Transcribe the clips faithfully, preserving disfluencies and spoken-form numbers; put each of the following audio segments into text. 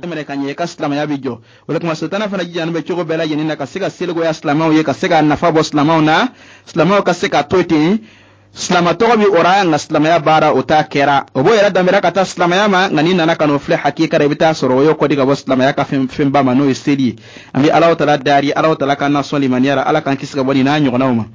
Minɛ ka ɲɛ, i ka silamɛya bɛ jɔ. O de kama sitana fana jijalen bɛ cogo bɛɛ lajɛlen na ka se ka seligoya silamɛw ye, ka se ka nafa bɔ silamɛw na, silamɛw ka se ka to ten. Silama tɔgɔ bɛ o ra, nka silamɛya baara o t'a kɛra. O b'o yɛrɛ danbɛra ka taa silamɛya ma, nka n'i nana ka n'o filɛ hakika la, i bɛ taa sɔrɔ o y'o kɔdi ka bɔ silamɛya ka fɛn fɛnba ma, n'o ye seli ye. An bɛ Alahu Taala dari, Alahu Taala k'an nasɔn limaniya la, Ala k'an kisi ka bɔ nin n'a ɲɔgɔnnaw ma.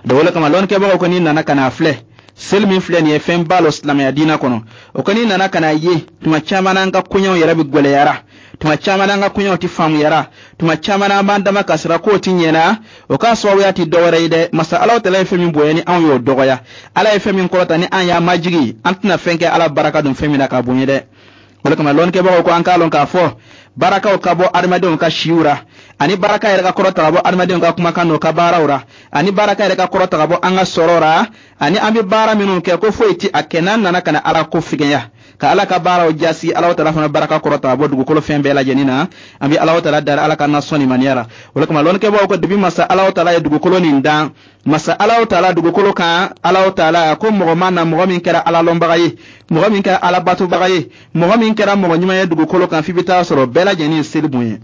Donc o de kama lɔnnikɛbagaw ko n'i nana ka n'a filɛ, seli min filɛ nin ye, fɛn ba lɔ silamɛya diinɛ kɔnɔ. O ko n'i nana ka n'a ye, tuma caman n'an ka koɲɛw yɛrɛ bɛ gwɛlɛyara, tuma caman n'an ka koɲɛw tɛ faamuyara, tuma caman n'an b'an dama kasira k'o ti ɲɛna. O k'a sababuya ti dɔwɛrɛ ye dɛ, masa Alahu Taala ye fɛn min bonya ni anw y'o dɔgɔya, Ala ye fɛn min kɔrɔta ni an y'a majigi, an tɛna fɛn kɛ Ala baraka don fɛn min na k'a bonya dɛ. O de kama lɔnnikɛbagaw ko an k'a lɔn k'a fɔ barakaw ka bɔ adamadenw ka siw ra, ani baraka yɛrɛ ka kɔrɔta ka bɔ adamadenw ka kumakan n'o ka baaraw ra, ani baraka yɛrɛ ka kɔrɔta ka bɔ an ka sɔrɔ ra, ani an bɛ baara minnu kɛ, ko foyi ti a kɛ n'an nana ka na Ala ko figɛnya, ka Ala ka baaraw jasi. Alahu Taala fana baraka kɔrɔta ka bɔ dugukolo fɛn bɛɛ lajɛlen na. An bɛ Alahu Taala dari, Ala ka nasɔn limaniya ra. O de kama lɔnnikɛbagaw ko depi masa Alahu Taala ye dugukolo nin dan, masa Alahu Taala dugukolo kan, Alahu Taala ko mɔgɔ ma na mɔgɔ min kɛra Ala lɔnbaga ye, mɔgɔ min kɛra Ala batobaga ye, mɔgɔ min kɛra mɔgɔ ɲuman ye dugukolo kan, f'i bɛ taa sɔrɔ bɛɛ lajɛlen ye seli bonya.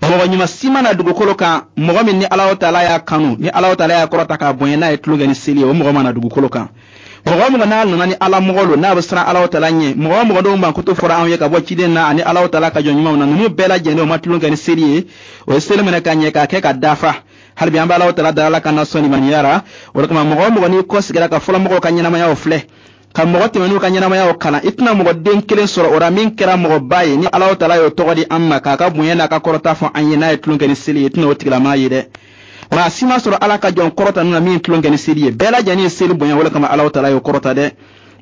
Mɔgɔ ɲuman si ma na dugukolo kan, mɔgɔ min ni Alahu Taala y'a kanu, ni Alahu Taala y'a kɔrɔta k'a bonya, n'a ye tulon kɛ ni seli ye, o mɔgɔ ma na dugukolo kan. Mɔgɔ o mɔgɔ n'a nana ni Ala mɔgɔ lo, n'a bɛ siran Alahu Taala ɲɛ, mɔgɔ o mɔgɔ dɔw mankutu fɔra anw ye ka bɔ ciden na ani Alahu Taala ka jɔn ɲumanw na, ninnu bɛɛ lajɛlen o ma tulon kɛ ni seli ye, o ye seli minɛ ka ɲɛ k'a kɛ ka dafa. Hali bi an bɛ Alahu Taala da, Ala ka nasɔn limaniya ra. O de kama mɔgɔ o mɔgɔ n'i kɔ sigira ka fɔlɔ mɔgɔw ka ɲɛnamayaw filɛ, ka mɔgɔ tɛmɛn'u ka ɲɛnamayaw kalan, i tɛna mɔgɔ den kelen sɔrɔ o la min kɛra mɔgɔba ye ni Alahu Taala y'o tɔgɔ di an ma k'a ka bonya n'a ka kɔrɔta fɔ an ye, n'a ye tulon kɛ ni seli ye, i tɛna o tigilamaa ye dɛ. Maa si ma sɔrɔ Ala ka jɔn kɔrɔta na min tulon kɛ ni seli ye. Bɛɛ lajɛlen ye seli bonya, o de kama Alahu Taala y'o kɔrɔta dɛ.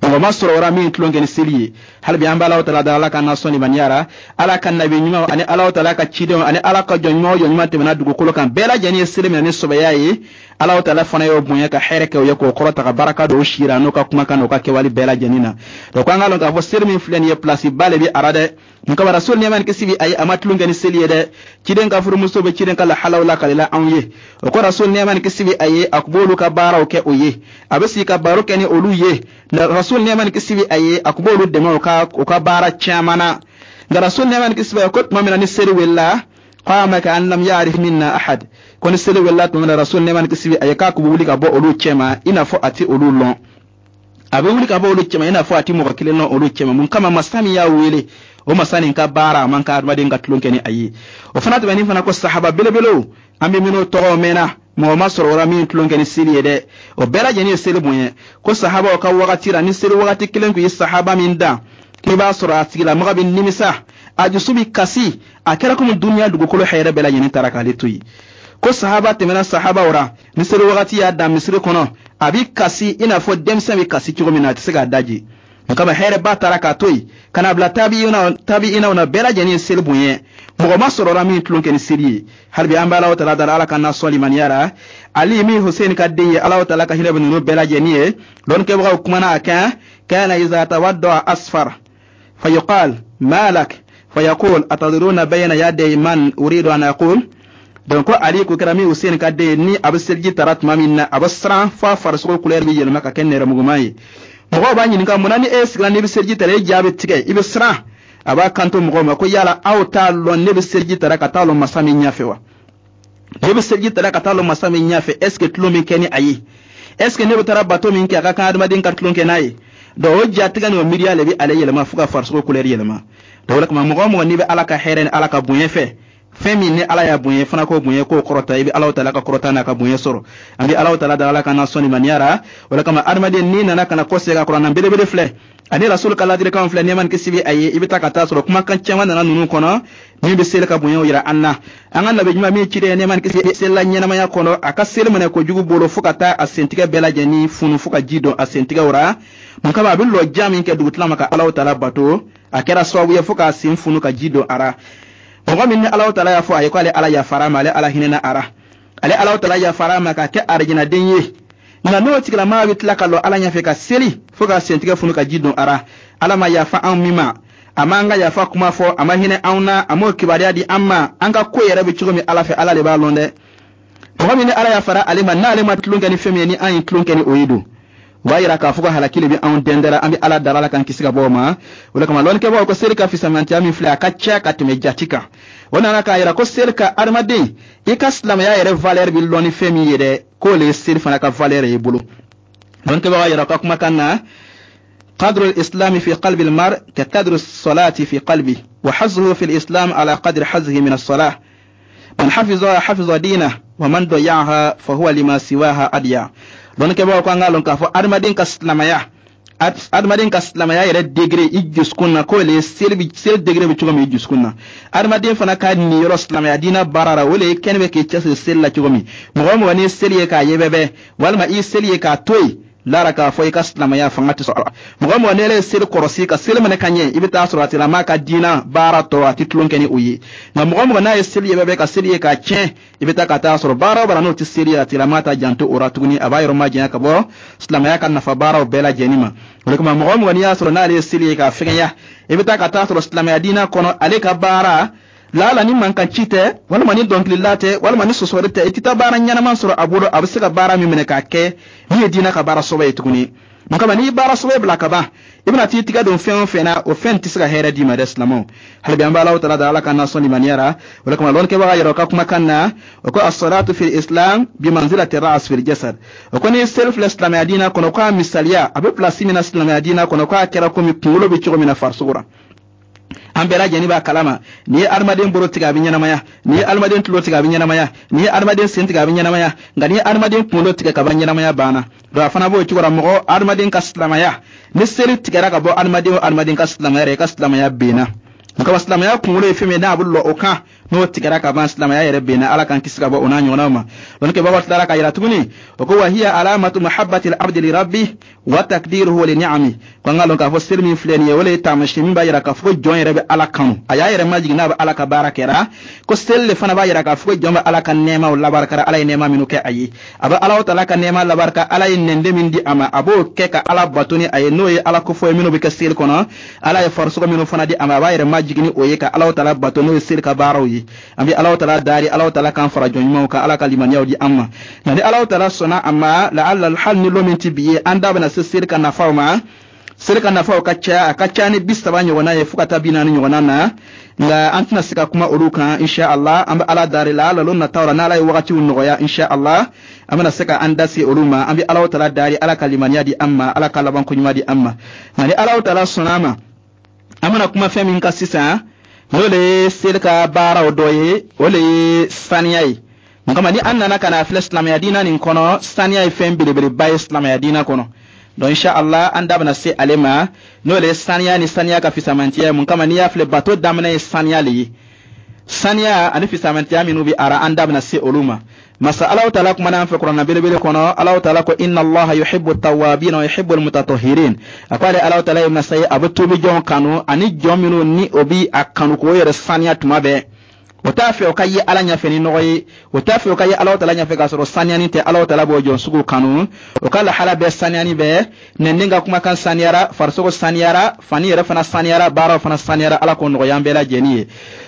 Mɔgɔ ma sɔrɔ o la min tulon kɛ ni seli ye. Hali bi an bɛ Alahu Taala da, Ala ka nasɔn limaniya ra. Ala ka nabi ɲuman ani Alahu Taala ka cidenw ani Ala ka jɔn ɲuman o jɔn ɲuman tɛmɛna dugukolo kan, bɛɛ lajɛlen ye seli minɛ ni sɔbɛya ye. Alahu Taala fana y'o bonya ka hɛrɛ kɛ o ye, k'o kɔrɔta ka baraka don o si ra, n'o ka kumakan n'o ka kɛwale bɛɛ lajɛlen na. Donc an k'a lɔn k'a fɔ seli min filɛ nin ye, place ba le bɛ a ra dɛ. Mun kama Rasul nɛɛma ni kisi bi a ye, a ma tulon kɛ ni seli ye dɛ. Ciden ka furumuso bɛ ciden ka lahalaw lakalila anw ye. O ko Rasul nɛɛma ni kisi bi a ye, a kun b'olu ka baaraw kɛ o ye, a bɛ sigi ka baro kɛ ni olu ye. Rasul nɛɛma ni kisi bi a ye, a kun b'olu dɛmɛ o ka o ka baara caman na. Nka Rasul nɛɛma ni kisi bi a ye ko tuma min na ni seli wulila, qama ka an lam ya'rif minna ahad, ko ni seli wulila tuma min na, Rasul nɛɛma ni kisi bi a ye k'a kun bɛ wuli ka bɔ olu cɛma i n'a fɔ a ti olu lɔn. A bɛ wuli ka bɔ olu cɛma i n'a fɔ a ti mɔgɔ kelen lɔn olu cɛma. Mun kama? Masa min y'a wele, o masa nin ka baara a man ka adamaden ka tulon kɛ ni a ye. O fana tɛmɛnin fana ko sahaba belebelew, an bɛ minnu tɔgɔ mɛnna, mɔgɔ ma sɔrɔ o la min tulon kɛ ni seli ye dɛ. O bɛɛ lajɛlen ye seli bonya. Ko sahabaw ka wagati la, ni seli wagati kelen tun ye sahaba min dan, k'i b'a sɔrɔ a tigilamɔgɔ bɛ nimisa, a dusu bɛ kasi, a kɛra komi duniya dugukolo hɛrɛ bɛɛ lajɛlen taara k'ale to yen. Ko sahaba tɛmɛna sahabaw ra, ni seli wagati y'a dan misiri kɔnɔ, a bɛ kasi i n'a fɔ denmisɛn bɛ kasi cogo min na, a tɛ se k'a daji. O kama hɛrɛba taara k'a to yen ka na bila tabi'inaw na, bɛɛ lajɛlen ye seli bonya. Mɔgɔ ma sɔrɔla min tulon kɛ ni seli ye. Hali bi an bɛ Alahu Taala dara, Ala ka nasɔn limaniya ra. Ali min Hussein ka den ye, Alahu Taala ka hinɛ bɛ ninnu bɛɛ lajɛlen ye. Lɔnnikɛbagaw kumana a kan. Kana iza tawadda asfar fayuqal malak fayaqul atadruna bayna yaday man uridu an aqul. Donc ko Ali ko kɛra min Hussein ka den ye, ni a bɛ seliji tara tuma min na, a bɛ siran f'a farisogo couleur bɛ yɛlɛma ka kɛ nɛrɛmuguman ye. Mɔgɔw b'a ɲininka mun na ni e sigira n'i bɛ seliji tara, e ja bɛ tigɛ, i bɛ siran. A b'a kanto mɔgɔw ma ko yala aw t'a lɔn ne bɛ seliji tara ka taa lɔ masa min ɲɛfɛ wa? Ne bɛ seliji tara ka taa lɔ masa min ɲɛfɛ, est ce que tulon bɛ kɛ ni a ye? Est ce que ne bɛ taara bato min kɛ, a ka kan adamaden ka tulon kɛ n'a ye? Donc o jatigɛ ni o miiriya le bɛ ale yɛlɛma fo ka farisogo couleur yɛlɛma. Donc o de kama mɔgɔ o mɔgɔ n'i bɛ Ala ka hɛrɛ ni Ala ka bonya fɛ, fɛn min ni Ala y'a bonya fana k'o bonya, k'o kɔrɔta, i bɛ Alahu Taala ka kɔrɔta n'a ka bonya sɔrɔ. An bɛ Alahu Taala da, Ala ka na sɔn limaniya ra. O de kama adamaden n'i nana ka na kɔsegin ka kuranna belebele filɛ ani Rasul ka ladilikanw filɛ nɛɛma ni kisi bɛ a ye, i bɛ taa ka taa sɔrɔ kumakan caman nana ninnu kɔnɔ min bɛ seli ka bonyaw yira an na. An ka nabi ɲuman min ciden nɛɛma ni kisi selila ɲɛnamaya kɔnɔ, a ka seli minɛ kojugu bolo fo ka taa a sentigɛ bɛɛ lajɛlen funu fo ka ji don a sentigɛw ra. Mun kama? A bɛ lɔ jan min kɛ dugutila ma ka Alahu Taala bato, a kɛra sababu ye fo k'a sen funu ka ji don a ra. Mɔgɔ min ni Alahu Taala y'a fɔ a ye ko ale Ala yafara ma, ale Ala hinɛna a ra, ale Alahu Taala yafara ma k'a kɛ arijinɛden ye, nka n'o tigilamaa bɛ tila ka lɔ Ala ɲɛfɛ ka seli fo ka sentigɛ funu ka ji don a ra, Ala ma yafa anw min ma, a m'an ka yafa kuma fɔ, a ma hinɛ anw na, a m'o kibaruya di an ma, an ka ko yɛrɛ bɛ cogo min Ala fɛ, Ala de b'a lɔn dɛ. Mɔgɔ min ni Ala yafara ale ma, n'ale ma tulon kɛ ni fɛn min ye, ni an ye tulon kɛ ni o ye don, O b'a yira k'a fɔ ko halaki le bɛ anw dɛndɛra. An bɛ Ala dara, Ala k'an kisi ka bɔ o ma. O de kama lɔnnikɛbaaw ko seli ka fisamantiya min filɛ, a ka ca ka tɛmɛ jati kan. O nana k'a yira ko seli ka adamaden i ka silamɛya yɛrɛ valeur bɛ lɔn ni fɛn min ye dɛ, k'o le ye seli fana ka valeur ye bolo. Lɔnnikɛbaaw yira ka kumakan na: قدر الإسلام في قلب المرء كقدر الصلاة في قلبه، وحظه في الإسلام على قدر حظه من الصلاة. من حفظها حفظ دينه، ومن ضيعها فهو لما سواها أضيع. Lɔnnikɛbaaw ko an k'a lɔn k'a fɔ adamaden ka silamɛya adamaden ka silamɛya yɛrɛ degré i dusukun na, k'o le ye seli bi seli degré bɛ cogo min i dusukun na, adamaden fana ka niyɔrɔ silamɛya diinɛ baara la, o le ye kɛnɛ bɛ k'i cɛsiri seli la cogo min. Mɔgɔ o mɔgɔ n'i ye seli ye k'a yɛbɛbɛ walima i ye seli ye k'a to yen, lara k'a fɔ i ka silamɛya fanga tɛ sɔrɔ. Mɔgɔ mɔgɔ n'e ye seli kɔrɔsi ka seli minɛ ka ɲɛ, i bɛ taa sɔrɔ a tigilamɔgɔ ka diinɛ baara tɔ, a tɛ tulon kɛ ni o ye. Nka mɔgɔ mɔgɔ n'a ye seli yɛbɛbɛ ka seli ye k'a tiɲɛ, i bɛ taa ka taa sɔrɔ baara o baara n'o tɛ seli ye, a tigilamɔgɔ ta janto o la tuguni, a b'a yɔrɔ majanya ka bɔ silamɛya ka nafa baaraw bɛɛ lajɛlen ma. O de kama, mɔgɔ o mɔgɔ n'i y'a sɔrɔ n'ale ye seli ye k'a fɛgɛnya, i bɛ taa ka taa sɔrɔ silamɛya diinɛ kɔnɔ, ale ka baara laala ni mankan ci tɛ, walima ni dɔnkilila tɛ, walima ni sɔsɔli tɛ, i tɛ taa baara ɲɛnama sɔrɔ a bolo a bɛ se ka baara min minɛ k'a kɛ min ye diinɛ ka baara sɔbɛ ye tuguni. Mun kama? N'i ye baara sɔbɛ bila ka ban, i bɛna t'i tigɛ don fɛn o fɛn na, o fɛn tɛ se ka hɛrɛ d'i ma dɛ. Silamɛw, hali bi an bɛ Alahu Taala da, Ala ka nasɔn limaniya ra. O de kama lɔnnikɛbaga yɛrɛ ka kumakan na, o ko: الصلاة في الإسلام بمنزلة الرأس في الجسد. O ko ni seli filɛ silamɛya diinɛ kɔnɔ, k'a misaliya a bɛ pilasi min na silamɛya diinɛ kɔnɔ, k'a kɛra komi kunkolo bɛ cogo min na farisogo la. An bɛɛ lajɛlen b'a kalama, n'i ye adamaden bolo tigɛ, a bɛ ɲɛnamaya. N'i ye adamaden tulo tigɛ, a bɛ ɲɛnamaya. N'i ye adamaden sen tigɛ, a bɛ ɲɛnamaya. Nka n'i ye adamaden kunkolo tigɛ ka ban, ɲɛnamaya banna. Donc a fana b'o cogo la. Mɔgɔ adamaden ka silamɛya, ni seli tigɛra ka bɔ adamaden o adamaden ka silamɛya yɛrɛ, i ka silamɛya benna. Nka silamɛya kunkolo ye fɛn min ye, n'a bɛ lɔ o kan, n'o tigɛra ka ban, silamɛya yɛrɛ benna. Ala k'an kisi ka bɔ o n'a ɲɔgɔnnaw ma. Lɔnnikɛbagaw tilara ka yira tuguni, o ko: وهي علامة محبة العبد لربه وتقديره لنعمه. Ko an ka lɔn k'a fɔ seli min filɛ nin ye, o le ye taamasiyɛn min b'a yira k'a fɔ ko jɔn yɛrɛ bɛ Ala kanu, a y'a yɛrɛ majigin n'a bɛ Ala ka baara kɛra. Ko seli le fana b'a yira k'a fɔ ko jɔn bɛ Ala ka nɛɛmaw labarikara, Ala ye nɛɛma minnu kɛ a ye. A bɛ Ala Taala ka nɛɛma labarika, Ala ye nɛnden min di a ma, a b'o kɛ ka Ala bato ni a ye, n'o ye Ala kofɔ ye minnu bɛ kɛ seli kɔnɔ. Ala ye farisogo minnu fana di a ma, a b'a yɛrɛ majigin ni o ye ka Ala Taala bato, n'o ye seli ka baaraw ye. An bɛ Ala Taala dari, Ala Taala k'an fara jɔn ɲumanw kan, Ala ka limaniyaw di an ma. Nka ni Ala Taala sɔnna a ma, laala hali ni lon min ti bi ye, an da bɛna se seli ka nafaw ma. Seli ka nafaw ka ca, a ka ca ni bi saba ɲɔgɔnna ye fo ka taa bi naani ɲɔgɔnna na, nka an tɛna se ka kuma olu kan insha Allah. An bɛ Ala dari la ala lon nataw la, n'Ala ye wagatiw nɔgɔya, insha Allah an bɛna se ka an da se olu ma. An bɛ Ala Taala dari, Ala ka limaniya di an ma, Ala ka labanko ɲuman di an ma. Nka ni Ala Taala sɔnna a ma, an bɛna kuma fɛn min kan sisan, n'o le ye seli ka baaraw dɔ ye, o le ye saniya ye. Mun kama? Ni an nana ka na filɛ silamɛya diinɛ nin kɔnɔ, saniya ye fɛn belebeleba ye silamɛya diinɛ kɔnɔ. Donc insha Allah an da bɛna se ale ma, n'o le ye saniya ni saniya ka fisamantiya. Mun kama? N'i y'a filɛ, bato daminɛ ye saniya le ye. Saniya ani fisamantiya minnu bɛ ara, an da bɛna se olu ma. Masa Alahu Taala kumana an fɛ Kuranna belebele kɔnɔ. Alahu Taala ko: إن الله يحب التوابين ويحب المتطهرين. A ko ale Alahu Taala ye masa ye, a bɛ tuubi jɔn kanu, ani jɔn minnu ni o bi a kanu k'o yɛrɛ saniya tuma bɛɛ. O t'a fɛ o ka ye Ala ɲɛfɛ ni nɔgɔ ye, o t'a fɛ o ka ye Alahu Taala ɲɛfɛ k'a sɔrɔ saniyani tɛ. Alahu Taala b'o jɔn sugu kanu, o ka lahala bɛɛ saniyani bɛɛ, nɛnden ka kumakan saniyara, farisogo saniyara, fani yɛrɛ fana saniyara, baaraw fana saniyara. Ala k'o nɔgɔya an bɛɛ lajɛlen ye.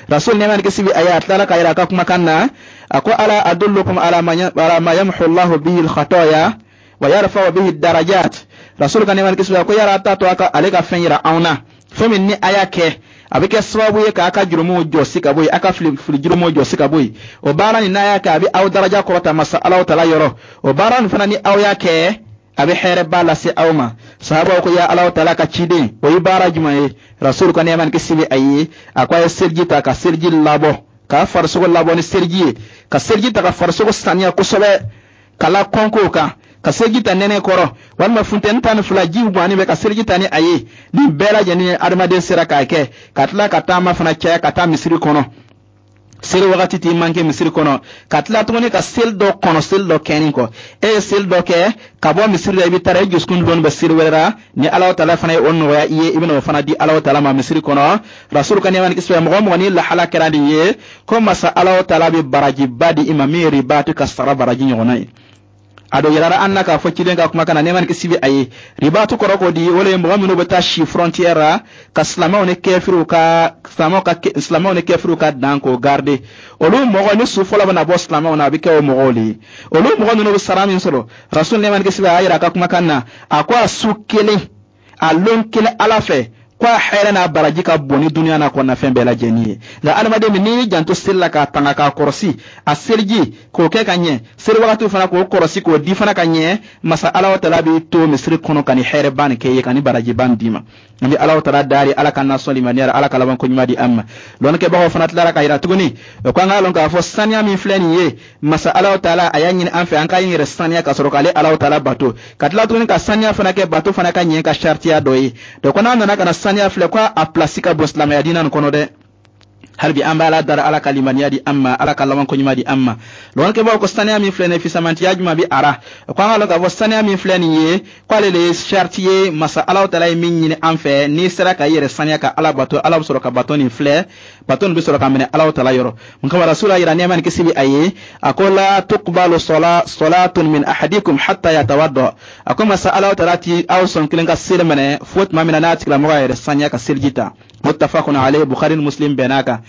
Rasul nɛɛma ni kisi bi a ye, a tilala k'a yira a ka kumakan na, a ko: ألا أدلكم على ما يمحو الله به الخطايا ويرفع به الدرجات؟ Rasul ka nɛɛma ni kisi bi a ko yala a t'a to a ka ale ka fɛn yira anw na, fɛn min ni a y'a kɛ, a bɛ kɛ sababu ye k'a ka jurumuw jɔsi ka bɔ yen, a ka fili fili jurumuw jɔsi ka bɔ yen? O baara nin, n'a y'a kɛ, a bɛ aw daraja kɔrɔta masa Alahu Taala yɔrɔ. O baara nin fana, ni aw y'a kɛ, a bɛ hɛrɛba lase aw ma. Sahabaw ko: ya Alahu Taala ka ciden, o ye baara jumɛn ye? Rasul ka nɛɛma ni kisi bɛ a ye, a ko a ye seliji ta ka seliji labɔ, k'a farisogo labɔ ni seliji ye, ka seliji ta ka farisogo saniya kosɛbɛ ka la kɔnkow kan, ka seliji ta nɛnɛ kɔrɔ walima funtɛni tan ni fila jiw ganni bɛ, ka seliji ta ni a ye. Nin bɛɛ lajɛlen ye adamaden sera k'a kɛ, ka tila ka taama fana caya ka taa misiri kɔnɔ, seli wagati t'i manke misiri kɔnɔ, ka tila tuguni ka seli dɔ kɔnɔ seli dɔ kɛni kɔ. E ye seli dɔ kɛ ka bɔ misiri la, i bɛ taara i dusukun dɔɔni bɛ seli wɛrɛ la. Ni Alahu Taala fana ye o nɔgɔya i ye, i bɛna o fana di Alahu Taala ma misiri kɔnɔ. Rasul ka nɛɛma ni kisi bɛ mɔgɔ mɔgɔ ni lahala kɛra nin ye, ko masa Alahu Taala bɛ barajiba di i ma min ye ribatu ka sara baraji ɲɔgɔnna ye. A dɔ yirara an na k'a fɔ ciden ka kumakan na, nɛɛma ni kisi bɛ a ye. Ribatu kɔrɔ ko di? O le ye mɔgɔ minnu bɛ taa si frontière la ka silamɛw ni kɛfiriw ka silamɛw ka silamɛw ni kɛfiriw ka dan k'o garder. Olu mɔgɔ ni su fɔlɔ bɛna bɔ silamɛw na, a bɛ kɛ o mɔgɔw le ye. Olu mɔgɔ ninnu bɛ sara min sɔrɔ, Rasul, nɛɛma ni kisi bɛ a y'a yira a ka kumakan na, a ko a su kelen, a lon kelen Ala fɛ, ko a hɛrɛ n'a baraji ka bon ni duniya n'a kɔnɔna fɛn bɛɛ lajɛlen ye. Nka adamaden min n'i y'i janto seli la, k'a tanga, k'a kɔrɔsi, a seliji k'o kɛ ka ɲɛ, seli wagatiw fana k'o kɔrɔsi, k'o di fana ka ɲɛ, Masa Alahu Taala b'i to misiri kɔnɔ ka nin hɛrɛba nin kɛ i ye, ka nin barajiba nin d'i ma. An bɛ Alahu Taala dari, Ala ka nasɔn limaniya, Ala ka laban ko ɲuman di an ma. Lɔnnikɛbagaw fana tilara ka yira tuguni o ko an k'a lɔn k'a fɔ saniya min filɛ nin ye, Masa Alahu Taala a y'a ɲini an fɛ an k'an yɛrɛ saniya ka sɔrɔ k'ale Alahu Taala bato, ka tila tuguni ka saniya fana kɛ bato fana ka ɲɛ ka saritiya dɔ ye. Donc n'a nana ka na saniya filɛ, ko a pilasi ka bon silamɛya diinɛ nin kɔnɔ dɛ. Hali bi an bɛ Ala dara, Ala ka limaniya di an ma, Ala ka laban ko ɲuman di an ma. Lɔnnikɛbaaw ko saniya min filɛ nin ye, fisamantiya jumɛn bɛ a ra? Ko an k'a lɔn k'a fɔ saniya min filɛ nin ye, k'ale le ye sariti ye Masa Alahu Taala ye min ɲini an fɛ. N'i sera ka i yɛrɛ saniya ka Ala bato, Ala bɛ sɔrɔ ka bato nin filɛ, bato nin bɛ sɔrɔ ka minɛ Alahu Taala yɔrɔ. Mun kama Rasula yira, nɛɛma ni kisi bɛ a ye, a ko: la tuqbalu salatun min ahadikum hatta yatawadda. A ko Masa Alahu Taala ti aw sɔn kelen ka seli minɛ fo tuma min na n'a tigilamɔgɔ y'a yɛrɛ saniya ka seliji ta. Muttafaqun alayhi, Bukhari ni Muslim bɛnn'a kan.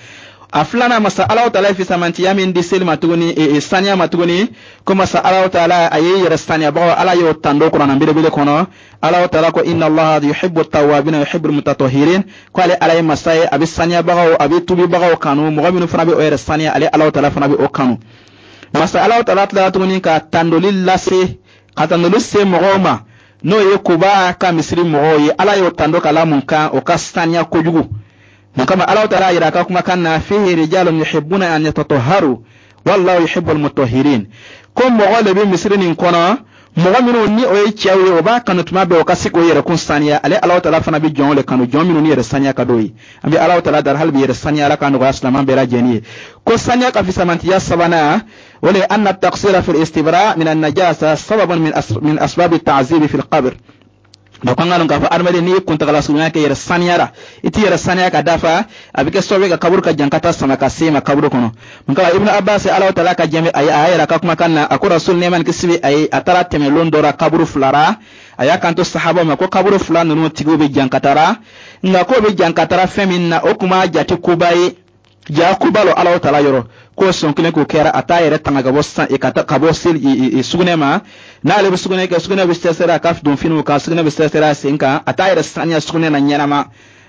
A filanan, Masa Alahu Taala ye fisamantiya min di seli ma tuguni, e, e, saniya ma tuguni, ko Masa Alahu Taala a ye yɛrɛ saniyabagaw, Ala y'o tando Kuranna belebele kɔnɔ. Alahu Taala ko: inna Allaha yuhibbu tawabina yuhibbu almutatahhirin. Ko ale Ala ye masa ye, a bɛ saniyabagaw, a bɛ tubibagaw kanu. Mɔgɔ minnu fana bɛ o yɛrɛ saniya, ale Alahu Taala fana bɛ o kanu. Masa Alahu Taala tilara tuguni ka tandoli lase, ka tandoli se mɔgɔw ma, n'o ye Kuba ka misiri mɔgɔw ye. Ala y'o tando ka la mun kan? O ka saniya kojugu. Mun kama Alahu Taala yira a ka kumakan na: fihi rijalun yuhibbuna an yatatahharu wallahu yuhibbu almutahhirin. Ko mɔgɔ le bɛ misiri nin kɔnɔ, mɔgɔ minnu ni o ye cɛw ye, o b'a kanu tuma bɛɛ o ka se k'o yɛrɛ kun saniya. Ale Alahu Taala fana bɛ jɔnw le kanu, jɔn minnu ni yɛrɛ saniya ka d'o ye. An bɛ Alahu Taala dari hali bi yɛrɛ saniya, Ala ka nɔgɔya silamɛ bɛɛ lajɛlen ye. Ko saniya ka fisamantiya sabanan, o le anna taqsira fi istibra min an-najasa sababun min min asbab at-ta'zib fi al-qabr. Donc an ka lɔn k'a fɔ adamaden, n'i ye kuntagala surunya kɛ yɛrɛ saniya la, i t'i yɛrɛ saniya ka dafa, a bɛ kɛ sababu ye ka kaburu ka jankata sama ka se ma kaburu kɔnɔ. Mun kama Ibnu Abbas, Alahu Taala ka jɛnbɛ a ye, a y'a yɛrɛ a ka kumakan na, a ko Rasul, nɛɛma ni kisi bɛ a ye, a taara tɛmɛ lon dɔ la kaburu fila ra. A y'a kanto sahabaw ma ko kaburu fila ninnu tigiw bɛ jankatara, nka k'o bɛ jankatara fɛn min na, o tun b'a jate koba ye, ja koba lo Alahu Taala yɔrɔ. K'o sɔn kelen k'o kɛra, a t'a yɛrɛ tanga ka bɔ san ka ka bɔ seli sugunɛ ma. N'ale bɛ sugunɛ kɛ, sugunɛ bɛ sɛsɛrɛ a ka don finiw kan, sugunɛ bɛ sɛsɛrɛ a sen kan, a t'a yɛrɛ saniya sugunɛ na ɲɛnama.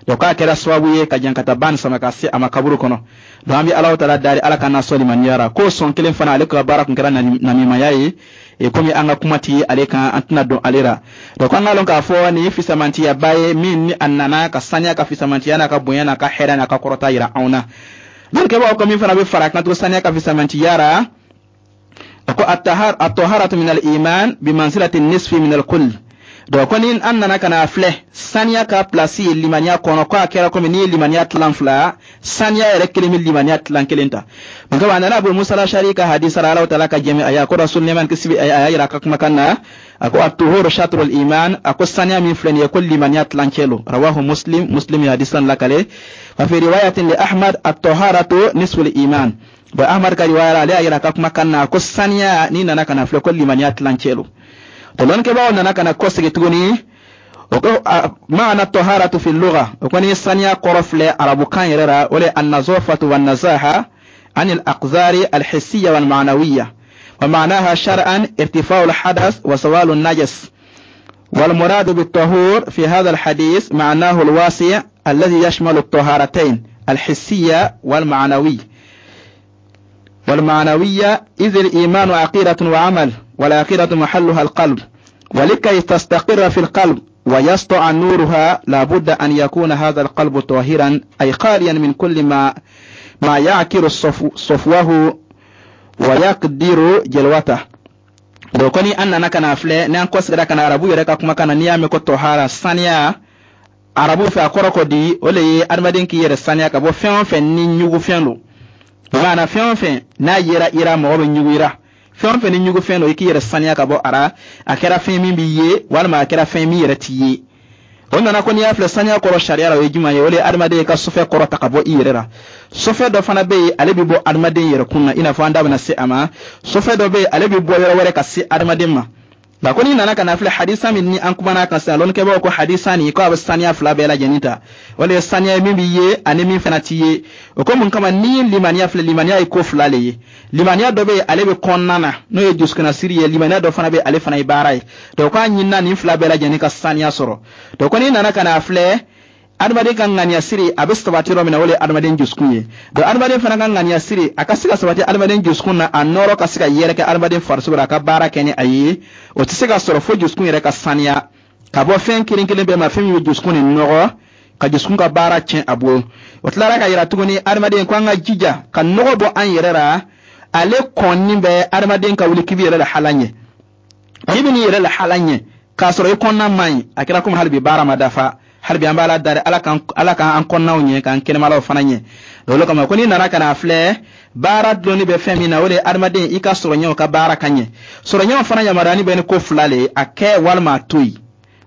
Donc k'a kɛra sababu ye ka jankata ba nin sama ka se a ma kaburu kɔnɔ. Donc an bɛ Alahu Taala dari, Ala ka n'a sɔn limaniya ra. K'o sɔn kelen fana, ale ka baara tun kɛra namimaya ye. E komi an ka kuma ti ale kan, an tɛna don ale la. Donc an k'a lɔn k'a fɔ nin ye fisamantiyaba ye min ni a nana ka saniya ka fisamantiya n'a ka bonya n'a ka hɛrɛ n'a ka kɔrɔta yira anw na. Lɔnnikɛbaaw ko min fana bɛ fara kan to saniya ka fisamantiya ra, a ko at-taharatu min al-iman bi manzilati nisfi min al-kull. Donc ko ni an nana ka na filɛ saniya ka pilasi ye limaniya kɔnɔ, ko a kɛra komi n'i ye limaniya tilan fila, saniya yɛrɛ kelen bɛ limaniya tilan kelen ta. Mun kama a nana Abu Musa Lashari ka hadisa la, Alahu Taala ka jɛmɛ a ye, a ko Rasul, nɛɛma ni kisi bɛ a ye, a y'a yira a ka kumakan na, a ko at-tuhuru shatru al-iman. A ko saniya min filɛ nin ye, ko limaniya tilancɛ lo. Rawahu Muslim, Muslim ye hadisa lakale. Wa fi riwayatin li Ahmad: at-taharatu nisfu al-iman. Bon, Ahmad ka riwaya la, ale y'a yira a ka kumakan na ko saniya n'i nana ka na filɛ, ko limaniya tilancɛ lo. To lɔnnikɛbaaw nana ka na kɔsegi tuguni, o ko maana taharatu fi lugha, o ko ni saniya kɔrɔ filɛ arabukan yɛrɛ la, o le an-nazafatu wan nazaha an al-aqzari al-hissiyya wal ma'nawiyya, wa ma'naha shar'an irtifa'u al-hadath wa zawalu an-najas. والمراد بالطهور في هذا الحديث معناه الواسع الذي يشمل الطهارتين الحسية والمعنوي والمعنوية، إذ الإيمان عقيدة وعمل، والعقيدة محلها القلب، ولكي تستقر في القلب ويسطع نورها لابد أن يكون هذا القلب طاهرا، أي خاليا من كل ما ما يعكر صفو صفوه ويكدر جلوته. Donc ko ni an nana ka na filɛ, n'an kɔsegira ka na arabu yɛrɛ ka kumakan na, n'i y'a mɛn ko tɔhara, saniya, arabu fɛ a kɔrɔ ko di? O le ye adamaden k'i yɛrɛ saniya ka bɔ fɛn o fɛn ni ɲugufɛn don. Maana fɛn o fɛn n'a yera i ra, mɔgɔ bɛ ɲugu i ra, fɛn o fɛn ni ɲugufɛn don, i k'i yɛrɛ saniya ka bɔ a ra. A kɛra fɛn min b'i ye walima a kɛra fɛn min yɛrɛ t'i ye. O nana ko n'i y'a filɛ, saniya kɔrɔ sariya la, o ye jumɛn ye? O de ye adamaden ka sɔfɛ kɔrɔ ta ka bɔ i yɛrɛ la. Sɔfɛ dɔ fana bɛ yen, ale bɛ bɔ adamaden yɛrɛ kun na, i n'a fɔ an da bɛna se a ma. Sɔfɛ dɔ bɛ yen, ale bɛ bɔ yɔrɔ wɛrɛ ka se adamaden ma. Nka ko n'i nana ka na filɛ, hadisa min ni an kumana kan sisan, lɔnnikɛbaaw ko hadisa nin ko a bɛ saniya fila bɛɛ lajɛlen ta. O de ye saniya ye min bɛ ye ani min fana ti ye. O ko mun kama? N'i ye limaniya filɛ, limaniya ye ko fila le ye. Limaniya dɔ bɛ yen, ale bɛ kɔnɔna na, n'o ye dusukunnasiri ye. Limaniya dɔ fana bɛ, ale fana ye baara ye. Donc k'a ɲinina nin fila bɛɛ lajɛlen ka saniya sɔrɔ. Donc ko n'i nana ka na filɛ, adamaden ka ŋaniya siri, a bɛ sabati yɔrɔ min na, o de ye adamaden dusukun ye. Donc adamaden fana ka ŋaniya siri, a ka se ka sabati adamaden dusukun na, a nɔrɔ ka se ka yɛrɛkɛ adamaden farisogo la, a ka baara kɛ ni a ye, o tɛ se ka sɔrɔ fo dusukun yɛrɛ ka saniya ka bɔ fɛn kelen kelen bɛɛ ma, fɛn min bɛ dusukun ni nɔgɔ, ka dusukun ka baara tiɲɛ a bolo. O tilara ka yira tuguni, adamaden ko an ka jija ka nɔgɔ bɔ an yɛrɛ la. Ale kɔnni bɛ adamaden ka wuli k'i b'i yɛrɛ lahala ɲɛ. N'i bɛ n'i yɛrɛ lahala ɲɛ k'a sɔrɔ i kɔnɔna man ɲi, a kɛra komi hali bi baara ma dafa. Hali bi an b'a la dari, ala k'an ala k'an kɔnɔnaw ɲɛ, k'an kɛnɛmalaw fana ɲɛ. Olu kama ko n'i nana ka na filɛ, baara dulonni bɛ fɛn min na, o de ye adamaden i ka sɔrɔ ɲɛw ka baara ka ɲɛ. Sɔrɔ ɲɛw fana yamaruyani bɛ ni ko fila le ye: a kɛ walima a to yen.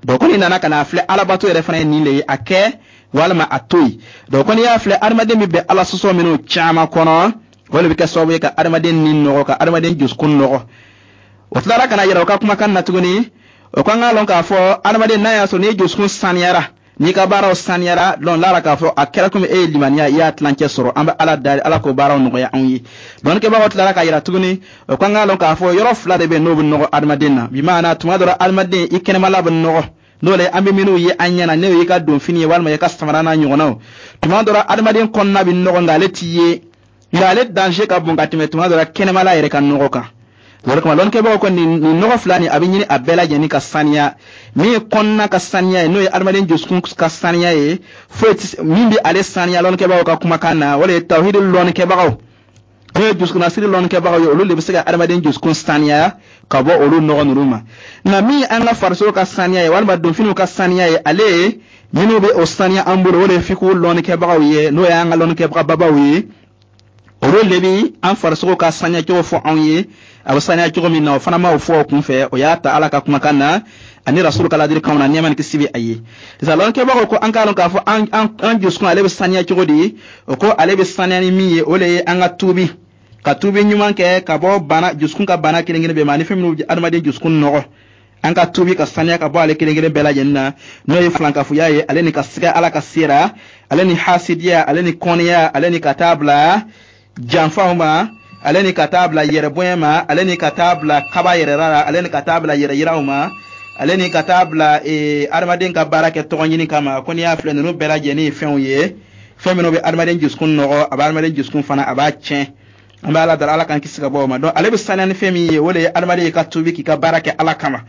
Donc ko n'i nana ka na filɛ, alabato yɛrɛ fana ye nin le ye: a kɛ walima a to yen. Donc ko n'i y'a filɛ, adamaden bɛ bɛn Ala sɔsɔ minnu caman kɔnɔ, o de bɛ kɛ sababu ye ka adamaden ni nɔgɔ, ka adamaden dusukun nɔgɔ. O tilara ka na yɛrɛ o ka kumakan na tuguni, o ko an k'a lɔn k'a fɔ adamaden, n'a y'a sɔrɔ n'i dusukun saniyara, n'i ka baaraw saniyara, lɔn lara k'a fɔ a kɛra komi e ye limaniya, i y'a tilancɛ sɔrɔ. An bɛ Ala dari, Ala k'o baaraw nɔgɔya anw ye. Dɔnnikɛbagaw tilara k'a yira tuguni, o ko an k'a lɔn k'a fɔ yɔrɔ fila de bɛ yen n'o bɛ nɔgɔ adamaden na. Bi maana, tuma dɔ la, adamaden i kɛnɛmala bɛ nɔgɔ, n'o le an bɛ minnu ye an ɲɛ na, n'o y'i ka donfini ye walima i ka samara n'a ɲɔgɔnnaw. Tuma dɔ la, adamaden kɔnɔna bɛ nɔgɔ, nka ale t'i ye, nka ale danger ka bon ka tɛmɛ tuma dɔ la kɛnɛmala yɛrɛ ka nɔgɔ kan. O de kama lɔnnikɛbagaw ko nin nin nɔgɔ fila nin, a bɛ ɲini a bɛɛ lajɛlen ka saniya. Min ye kɔnɔna ka saniya ye, n'o ye adamaden dusukun ka saniya ye, foyi tɛ min bɛ ale saniya. Lɔnnikɛbagaw ka kumakan na, o de ye tawhidi lɔnnikɛbagaw, n'o ye dusukunnasiri lɔnnikɛbagaw ye, olu de bɛ se ka adamaden dusukun saniya ka bɔ olu nɔgɔ ninnu ma. Nka min ye an ka farisogo ka saniya ye walima donfiniw ka saniya ye, ale ye minnu bɛ o saniya an bolo, o de ye fikihu lɔnnikɛbagaw ye, n'o y'an ka lɔnnikɛbaga babaw ye. Olu de bi an farisogo ka saniya cogo fɔ anw ye, a bɛ saniya cogo min na. O fana m'o fɔ o kun fɛ, o y'a ta Ala ka kumakan na ani Rasulu ka ladilikanw na, nɛɛma ni kisi bɛ a ye. Sisan lɔnnikɛbagaw ko an k'a lɔn k'a fɔ an an an dusukun, ale bɛ saniya cogo di? O ko ale bɛ saniya ni min ye, o de ye an ka tuubi, ka tuubi ɲuman kɛ ka bɔ bana, dusukun ka bana kelen kelen bɛɛ ma, ani fɛn minnu bɛ adamaden dusukun nɔgɔ. An ka tuubi ka saniya ka bɔ ale kelen kelen bɛɛ lajɛlen na, n'o ye filankafoya ye, ale ni ka siga Ala ka sera, ale ni hasidiya, ale ni kɔniya, ale ni ka taa bila janfaw ma, ale ni ka taa bila yɛrɛbonya ma, ale ni ka taa bila kaba yɛrɛ la, ale ni ka taa bila yɛrɛ yiraw ma, ale ni ka taa bila ee adamaden ka baara kɛ tɔgɔ ɲini kama. Ko n'i y'a filɛ, ninnu bɛɛ lajɛlen ye fɛnw ye, fɛn minnu bɛ adamaden dusukun nɔgɔ, a bɛ adamaden dusukun fana, a b'a tiɲɛ. An bɛ Ala dara, Ala k'an kisi ka bɔ o ma. Donc ale bɛ saniya ni fɛn min ye, o de ye adamaden ye ka tuubi, k'i ka baara kɛ Ala kama,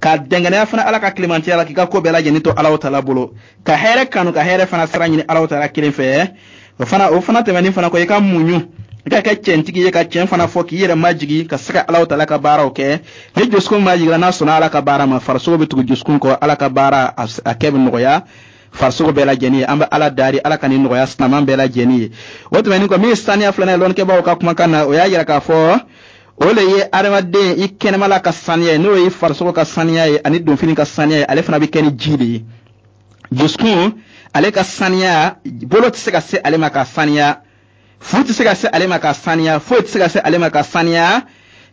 ka dɛngɛnɛya fana Ala ka tilemantiya la, k'i ka ko bɛɛ lajɛlen to Ala tala bolo, ka hɛrɛ kanu, ka hɛrɛ fana sira ɲini Ala tala kelen fɛ. O fana o fana tɛmɛnen fana kɔ, i ka muɲu, i ka kɛ cɛntigi ye, ka tiɲɛ fana fɔ, k'i yɛrɛ majigi ka se ka Ala tala ka baaraw kɛ. Ni dusukun majigira, n'a sɔnna Ala ka baara ma, farisogo bɛ tugu dusukun kɔ, Ala ka baara a kɛ bɛ nɔgɔya farisogo bɛɛ lajɛlen ye. An bɛ Ala dari, Ala ka nin nɔgɔya silaman bɛɛ lajɛlen ye. O tɛmɛnen kɔ, min ye saniya filanan ye, lɔnnikɛbaaw ka kumakan na, o y'a yira k'a fɔ o le ye adamaden i kɛnɛmala ka saniya ye, n'o ye farisogo ka saniya ye ani donfini ka saniya ye. Ale fana bɛ kɛ ni ji de ye. Dusukun, ale ka saniya, bolo tɛ se ka se ale ma ka saniya, fu tɛ se ka se ale ma ka saniya, foyi tɛ se ka se ale ma ka saniya.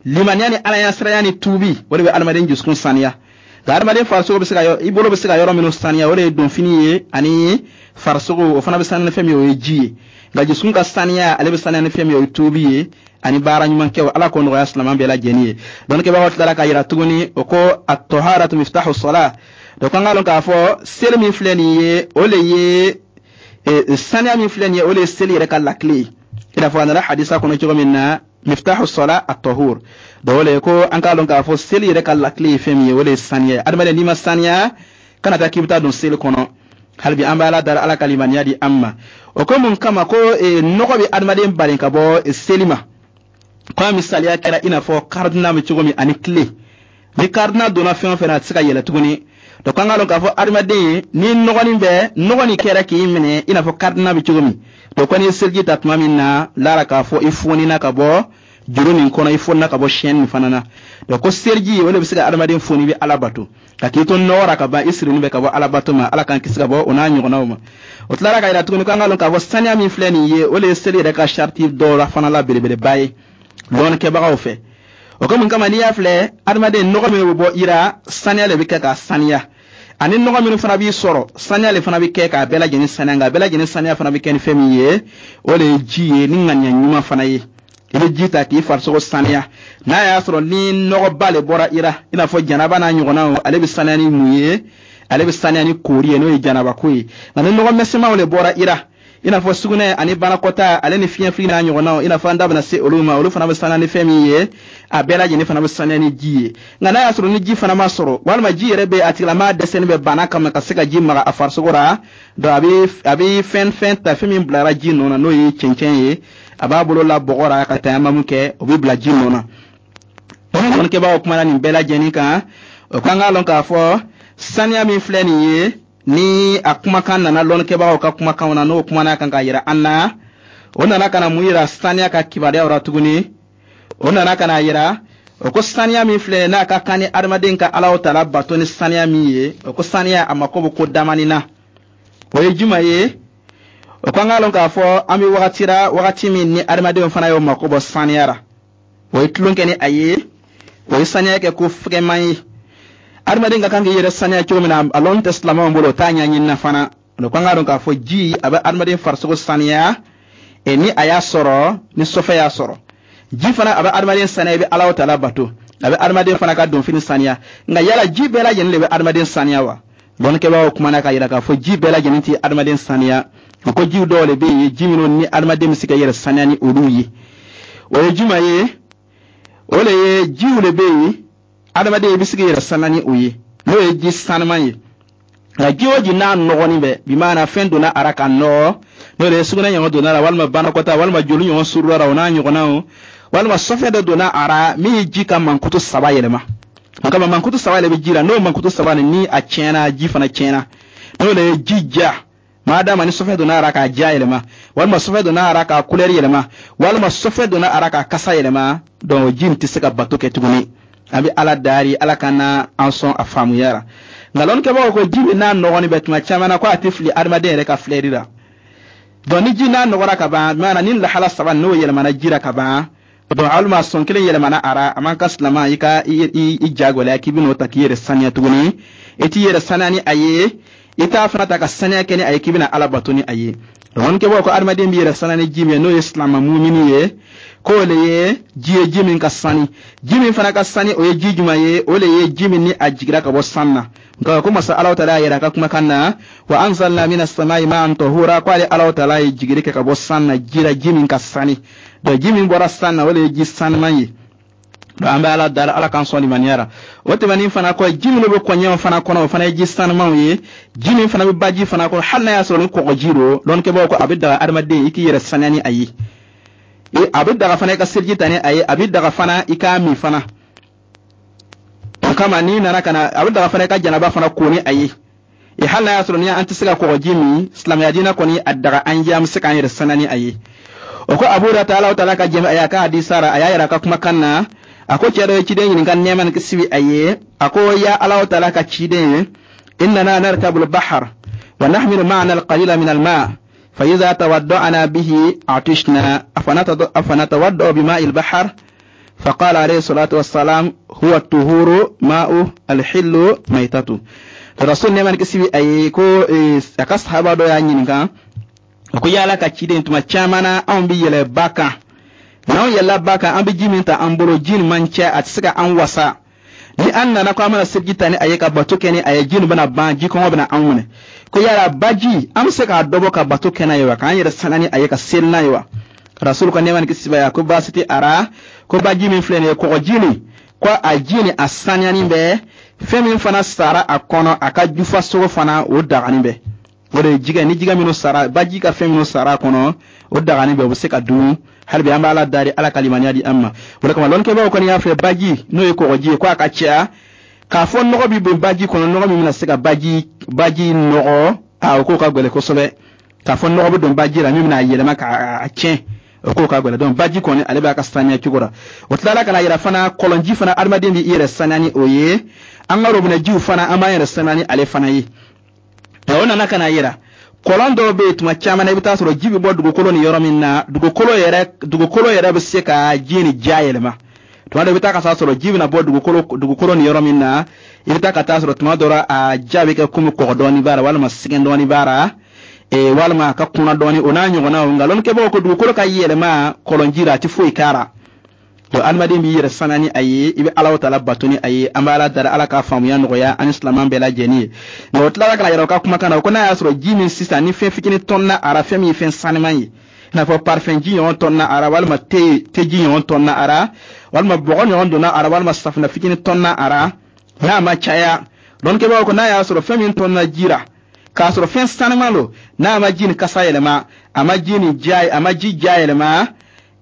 Limaniya ni alaɲɛsiranya ni tuubi, o de bɛ adamaden dusukun saniya. Nka adamaden farisogo bɛ se ka, i bolo bɛ se ka yɔrɔ minnu saniya, o de ye donfini ye ani farisogo, o fana bɛ saniya ni fɛn min ye, o ye ji ye. Nka dusukun ka saniya, ale bɛ saniya ni fɛn min ye, o ye tuubi ye ani baara ɲuman kɛ. Ala k'o nɔgɔya silamɛ bɛɛ lajɛlen ye. Dɔnnikɛbagaw tilara k'a yira tuguni, o ko at-taharatu miftahu salah. Donc an k'a lɔn k'a fɔ seli min filɛ nin ye, o le ye saniya min filɛ nin ye, o le ye seli yɛrɛ ka lakile ye, i n'a fɔ a nana hadisa kɔnɔ cogo min na: miftahu salah at-tahur. Donc o le ko an k'a lɔn k'a fɔ seli yɛrɛ ka lakile ye fɛn min ye, o le ye saniya ye. Adamaden, n'i ma saniya, kana taa k'i bɛ taa don seli kɔnɔ. Hali bi an bɛ Ala dara, Ala ka limaniya di an ma. O ko mun kama? Ko nɔgɔ bɛ adamaden bali ka bɔ seli ma. Ko a misaliya kɛra i n'a fɔ karidina bɛ cogo min ani tile. Ni karidina donna fɛn o fɛn na, a tɛ se ka yɛlɛ tuguni. Donc an k'a lɔn k'a fɔ adamaden, ni nɔgɔnin bɛ, nɔgɔ nin kɛra k'i minɛ i n'a fɔ karidina bɛ cogo min. Donc ko n'i ye seliji ta tuma min na, lara k'a fɔ i fonina ka bɔ juru nin kɔnɔ, i fonina ka bɔ chaîne nin fana na. Donc ko seliji, o de bɛ se ka adamaden foni i bɛ Ala bato ka k'i to nɔgɔ ra ka ban, i sirilen bɛ ka bɔ Ala bato ma. Ala k'an kisi ka bɔ o n'a ɲɔgɔnnaw ma. O tilara ka yira tuguni ko an ka lɔn k'a fɔ saniya min filɛ nin ye, o de ye seli yɛrɛ ka sariti dɔw la fana la belebeleba ye lɔnnikɛbagaw fɛ. O ko mun kama, n'i y'a filɛ, adamaden nɔgɔ min bɛ bɔ i ra, saniya de bɛ kɛ k'a saniya, ani nɔgɔ minnu fana b'i sɔrɔ, saniya de fana bɛ kɛ k'a bɛɛ lajɛlen saniya. Nka a bɛɛ lajɛlen saniya fana bɛ kɛ ni fɛn min ye, o de ye ji ye, ni ŋaniya ɲuman fana ye. I bɛ ji ta k'i farisogo saniya. N'a y'a sɔrɔ ni nɔgɔba le bɔra i la, i n'a fɔ janaba n'a ɲɔgɔnnaw, ale bɛ saniya ni mun ye? Ale bɛ saniya ni koori ye, n'o ye janabako ye. Nka ni nɔgɔ misɛnmanw le bɔra i la, i n'a fɔ sugunɛ ani banakɔta, ale ni fiɲɛfili n'a ɲɔgɔnnaw, i n'a fɔ an da bɛna se olu ma, olu fana bɛ saniya ni fɛn min ye? A bɛɛ lajɛlen fana bɛ saniya ni ji ye. Nka n'a y'a sɔrɔ ni ji fana ma sɔrɔ, walima ji yɛrɛ bɛ a tigilamaa dɛsɛlen bɛ bana kama ka se ka ji maga a farisogo la, donc a bɛ a bɛ fɛn fɛn ta, fɛn min bilara ji nɔ na, n'o ye cɛncɛn ye, a b'a bolo la bɔgɔ la ka tayamamu kɛ, o bɛ bila ji nɔ na. Dɔnnikɛbagaw kumana nin bɛɛ lajɛlen kan. O kan k'a lɔn k'a fɔ saniya min filɛ nin ye, ni a kumakan nana lɔnnikɛbagaw ka kumakanw na, n'o kumana kan ka yira an na, o nana ka na mun yira saniya ka kibaruyaw la tuguni? O nana ka na yira, o ko saniya min filɛ, n'a ka kan ni adamaden ka Alaw tala bato ni saniya min ye, o ko saniya a mako bɛ ko damani na. O ye juma ye? O ko an k'a lɔn k'a fɔ an bɛ wagati la, wagati min ni adamadenw fana y'o mako bɔ saniya la, o ye tulon kɛ ni a ye, o ye saniya kɛ ko fɛgɛman ye. Adamaden ka kan k'i yɛrɛ saniya cogo min na, a lɔn tɛ silamɛw bolo, o t'a ɲɛɲini na fana. O ko an k'a dɔn k'a fɔ ji, a bɛ adamaden farisogo saniya e ni a y'a sɔrɔ, ni sɔfɛ y'a sɔrɔ. Ji fana a bɛ adamaden saniya, i bɛ Ala tala bato, a bɛ adamaden fana ka donfini saniya. Nka yala ji bɛɛ lajɛlen de bɛ adamaden saniya wa? Lɔnnikɛbaaw kumana k'a yira k'a fɔ ji bɛɛ lajɛlen tɛ adamaden saniya. O ko jiw dɔw de bɛ yen, ji minnu ni adamaden bɛ se ka yɛrɛ saniya ni olu ye. O ye jumɛn ye? O de ye jiw de bɛ yen, adamaden i bɛ se k'i yɛrɛ saniya ni o ye, n'o ye ji sanuman ye. Nka ji o ji n'a nɔgɔnin bɛ, bimaana fɛn donna a ra ka nɔgɔ, n'o de ye sugunɛ ɲɔgɔn donna la, walima banakɔta, walima joli ɲɔgɔn surula la, o n'a ɲɔgɔnnaw, walima sɔfɛ dɔ donna a ra min ye ji ka mankutu saba yɛlɛma. O kama mankutu saba de bɛ ji la. N'o mankutu saba nin ni a tiɲɛna, ji fana tiɲɛna. N'o de ye ji ja maadama ni sɔfɛ donna a ra k'a ja yɛlɛma, walima sɔfɛ donna a ra k'a couleur yɛlɛma, walima sɔfɛ donna a ra k'a kasa yɛlɛma, donc ji nin tɛ se ka bato kɛ tuguni. An bɛ Ala dari, Ala ka na an sɔn a faamuya la. Nka lɔnnikɛbagaw ko ji min n'a nɔgɔnin bɛ, tuma caman na ko a tɛ fili adamaden yɛrɛ ka filɛri la. Donc ni ji n'a nɔgɔra ka ban, maana ni lahala saba n'o yɛlɛmana ji la ka ban, donc walima sɔn kelen yɛlɛmana a ra, a man ka silama i ka i i ja gwɛlɛya k'i bɛn'o ta k'i yɛrɛ saniya tuguni. I t'i yɛrɛ saniya ni a ye, i t'a fana ta ka saniya kɛ ni a ye k'i bɛna Ala bato ni a ye. Lɔnnikɛbagaw ko adamaden b'i yɛrɛ saniya ni ji min ye, n'o ye silama mumini ye, k'o le ye ji ye, ji min ka sani. Ji min fana ka sani, o ye ji jumɛn ye? O le ye ji min ni a jigira ka bɔ san na. Nka ko masa Alaw taala y'a yɛrɛ a ka kumakan na: wa anzalna mina samai ma'an tahura. Ko ale Alaw taala ye jigiri kɛ ka bɔ san na ji la, ji min ka sani. Donc ji min bɔra san na, o le ye ji sanuman ye. Donc an bɛ Ala dara, Ala k'an sɔn limaniya la. O tɛmɛnen fana kɔ, ji minnu bɛ kɔɲɛw fana kɔnɔ, o fana ye ji sanumanw ye. Ji min fana bɛ baji fana kɔnɔ, hali n'a y'a sɔrɔ ni kɔgɔji don, lɔnnikɛbaaw ko a bɛ daga adamaden i k'i yɛrɛ saniya ni a ye, a bɛ daga fana i ka seliji ta ni a ye, a bɛ daga fana i k'a min fana. O kama n'i nana ka na, a bɛ daga fana i ka janaba fana ko ni a ye. E hali n'a y'a sɔrɔ ni an tɛ se ka kɔgɔji min, silamɛya diinɛ kɔni a daga an ye, an bɛ se k'an yɛrɛ saniya ni a ye. O ko Abu Hurata, Ala taala ka jɛmɛ a y'a ka hadisa ra, a y'a yira a ka kumakan na, a ko cɛ dɔ ye ciden ɲininka, nɛɛma ni kisi bɛ a ye, a ko: ya Ala taala ka ciden ye, innana narkabu al-bahr wa nahmilu ma'ana al-qalila min al-ma' فإذا تودعنا به عطشنا، أفنتودع بماء البحر؟ فقال عليه الصلاة والسلام: هو الطهور ماؤه الحل ميتته. Rasul, nɛɛma ni kisi bɛ a ye, ko a ka sahaba dɔ y'a ɲininka, a ko: yala ka ciden, tuma caman na anw bɛ yɛlɛ ba kan, n'anw yɛlɛla ba kan, an bɛ ji min ta an bolo, ji nin man ca, a tɛ se ka an wasa. Ni an nana ko an bɛna seliji ta ni a ye ka bato kɛ ni a ye, ji nin bɛna ban, ji kɔngɔ bɛna anw minɛ. Ko yala baji, an bɛ se k'a dɔbɔ ka bato kɛ n'a ye wa, k'an yɛrɛ saniya ni a ye, ka seli n'a ye wa? Rasul ka nɛɛma ni kisi b'a ye, ko baasi tɛ a ra. Ko baji min filɛ nin ye, kɔgɔji nin, ko a ji nin a saniyani bɛ, fɛn min fana sara a kɔnɔ, a ka jufa sogo fana, o dagani bɛ. O de ye jigɛ ni jigɛ minnu sara baji ka fɛn minnu sara a kɔnɔ, o dagani bɛ, o bɛ se ka dun. Hali bi an bɛ Ala dari, Ala ka limaniya di an ma. O de kama lɔnnikɛbaaw kɔni y'a fɛ, baji n'o ye kɔgɔji ye, ko a ka ca k'a fɔ nɔgɔ bɛ don baji kɔnɔ, nɔgɔ min bɛna se ka baji baji nɔgɔ, a o k'o ka gɛlɛn kosɛbɛ. K'a fɔ nɔgɔ bɛ don baji la min bɛna a yɛlɛma k'a tiɲɛ, O ko ka gɛlɛn. Donc baji kɔni, ale b'a ka saniya cogo la. O tilala ka na yira fana, kɔlɔnji fana, adamaden b'i yɛrɛ saniya ni o ye. An ka robinɛ jiw fana, an b'an yɛrɛ saniya ni ale fana ye. O nana ka na yira, kɔlɔn dɔw bɛ yen, tuma caman na, i bɛ taa sɔrɔ ji bɛ bɔ dugukolo ni yɔrɔ min na, dugukolo yɛrɛ dugukolo yɛrɛ bɛ se ka ji ni ja yɛlɛma. Tuma dɔ, i bɛ taa ka taa sɔrɔ ji bɛna bɔ dugukolo dugukolo ni yɔrɔ min na, i bɛ taa ka taa sɔrɔ tuma dɔ la, a ja bɛ kɛ komi kɔgɔ dɔɔni b'a la, walima sɛgɛn dɔɔni b'a la, ee walima a ka kunna dɔɔni, o n'a ɲɔgɔnnaw. Nka lɔnnikɛbagaw ko dugukolo ka yɛlɛma kɔlɔnji la, a tɛ foyi k'a la. Donc adamaden b'i yɛrɛ saniya ni a ye, i bɛ Ala taala bato ni a ye. An bɛ Ala dara, Ala ka faamuya nɔgɔya an ni silamɛ bɛɛ lajɛlen ye. Nka o tilala ka na yɛrɛ u ka kumakan na, o ko n'a y'a sɔrɔ ji min sisan ni fɛn fitinin tɔnna a ra, fɛn min ye fɛn saniman ye, i n'a fɔ parfum ji ɲɔgɔn tɔnna a ra, walima te teji ɲɔgɔn tɔnna a ra, walima bɔgɔ ɲɔgɔn donna a ra, walima safunɛ fitinin tɔnna a ra, n'a ma caya, lɔnnikɛbagaw ko n'a y'a sɔrɔ fɛn min tɔnna ji la k'a sɔrɔ fɛn saniman don, n'a ma ji ni kasa yɛlɛma, a ma ji ni ja a ma ji ja yɛlɛma,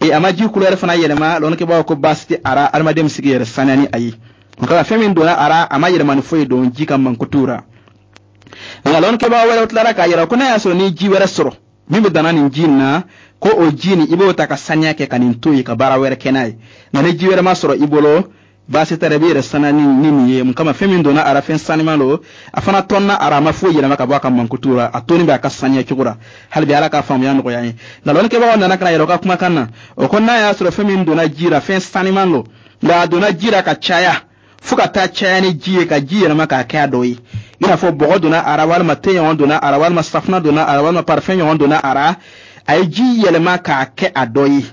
e a ma ji couleur fana yɛlɛma, lɔnnikɛbagaw ko baasi tɛ a ra, adamaden bɛ se k'i yɛrɛ saniya ni a ye. Nka fɛn min donna a ra, a ma yɛlɛma ni foyi don ji ka mankutu ra. Nka lɔnnikɛbaga wɛrɛw tilara k'a yira ko n'a y'a sɔrɔ ni ji wɛrɛ sɔrɔ min bɛ danna nin ji in na, ko o ji nin, i b'o ta ka saniya kɛ ka nin to yen, ka baara wɛrɛ kɛ n'a ye. Nka ni ji wɛrɛ ma sɔrɔ i bolo, baasi tɛ, i b'i yɛrɛ saniya ni ni nin ye. Mun kama? Fɛn min donna a ra, fɛn saniman don, a fana tɔnna a ra, a ma foyi yɛlɛma ka bɔ a ka mankutu la, a toni bɛ a ka saniya cogo la. Hali bi, Ala ka faamuya nɔgɔya an ye. Nka lɔnnikɛbagaw nana ka na yɛrɛ u ka kumakan na, o ko n'a y'a sɔrɔ fɛn min donna ji la, fɛn saniman don, nka a donna ji la ka caya fo ka taa caya ni ji ye, ka ji yɛlɛma k'a kɛ a dɔ ye, i n'a fɔ bɔgɔ donna a ra, walima te ɲɔgɔn donna a ra, walima safunɛ donna a ra, walima parfum ɲɔgɔn donna a ra, a ye ji yɛlɛma k'a kɛ a dɔ ye,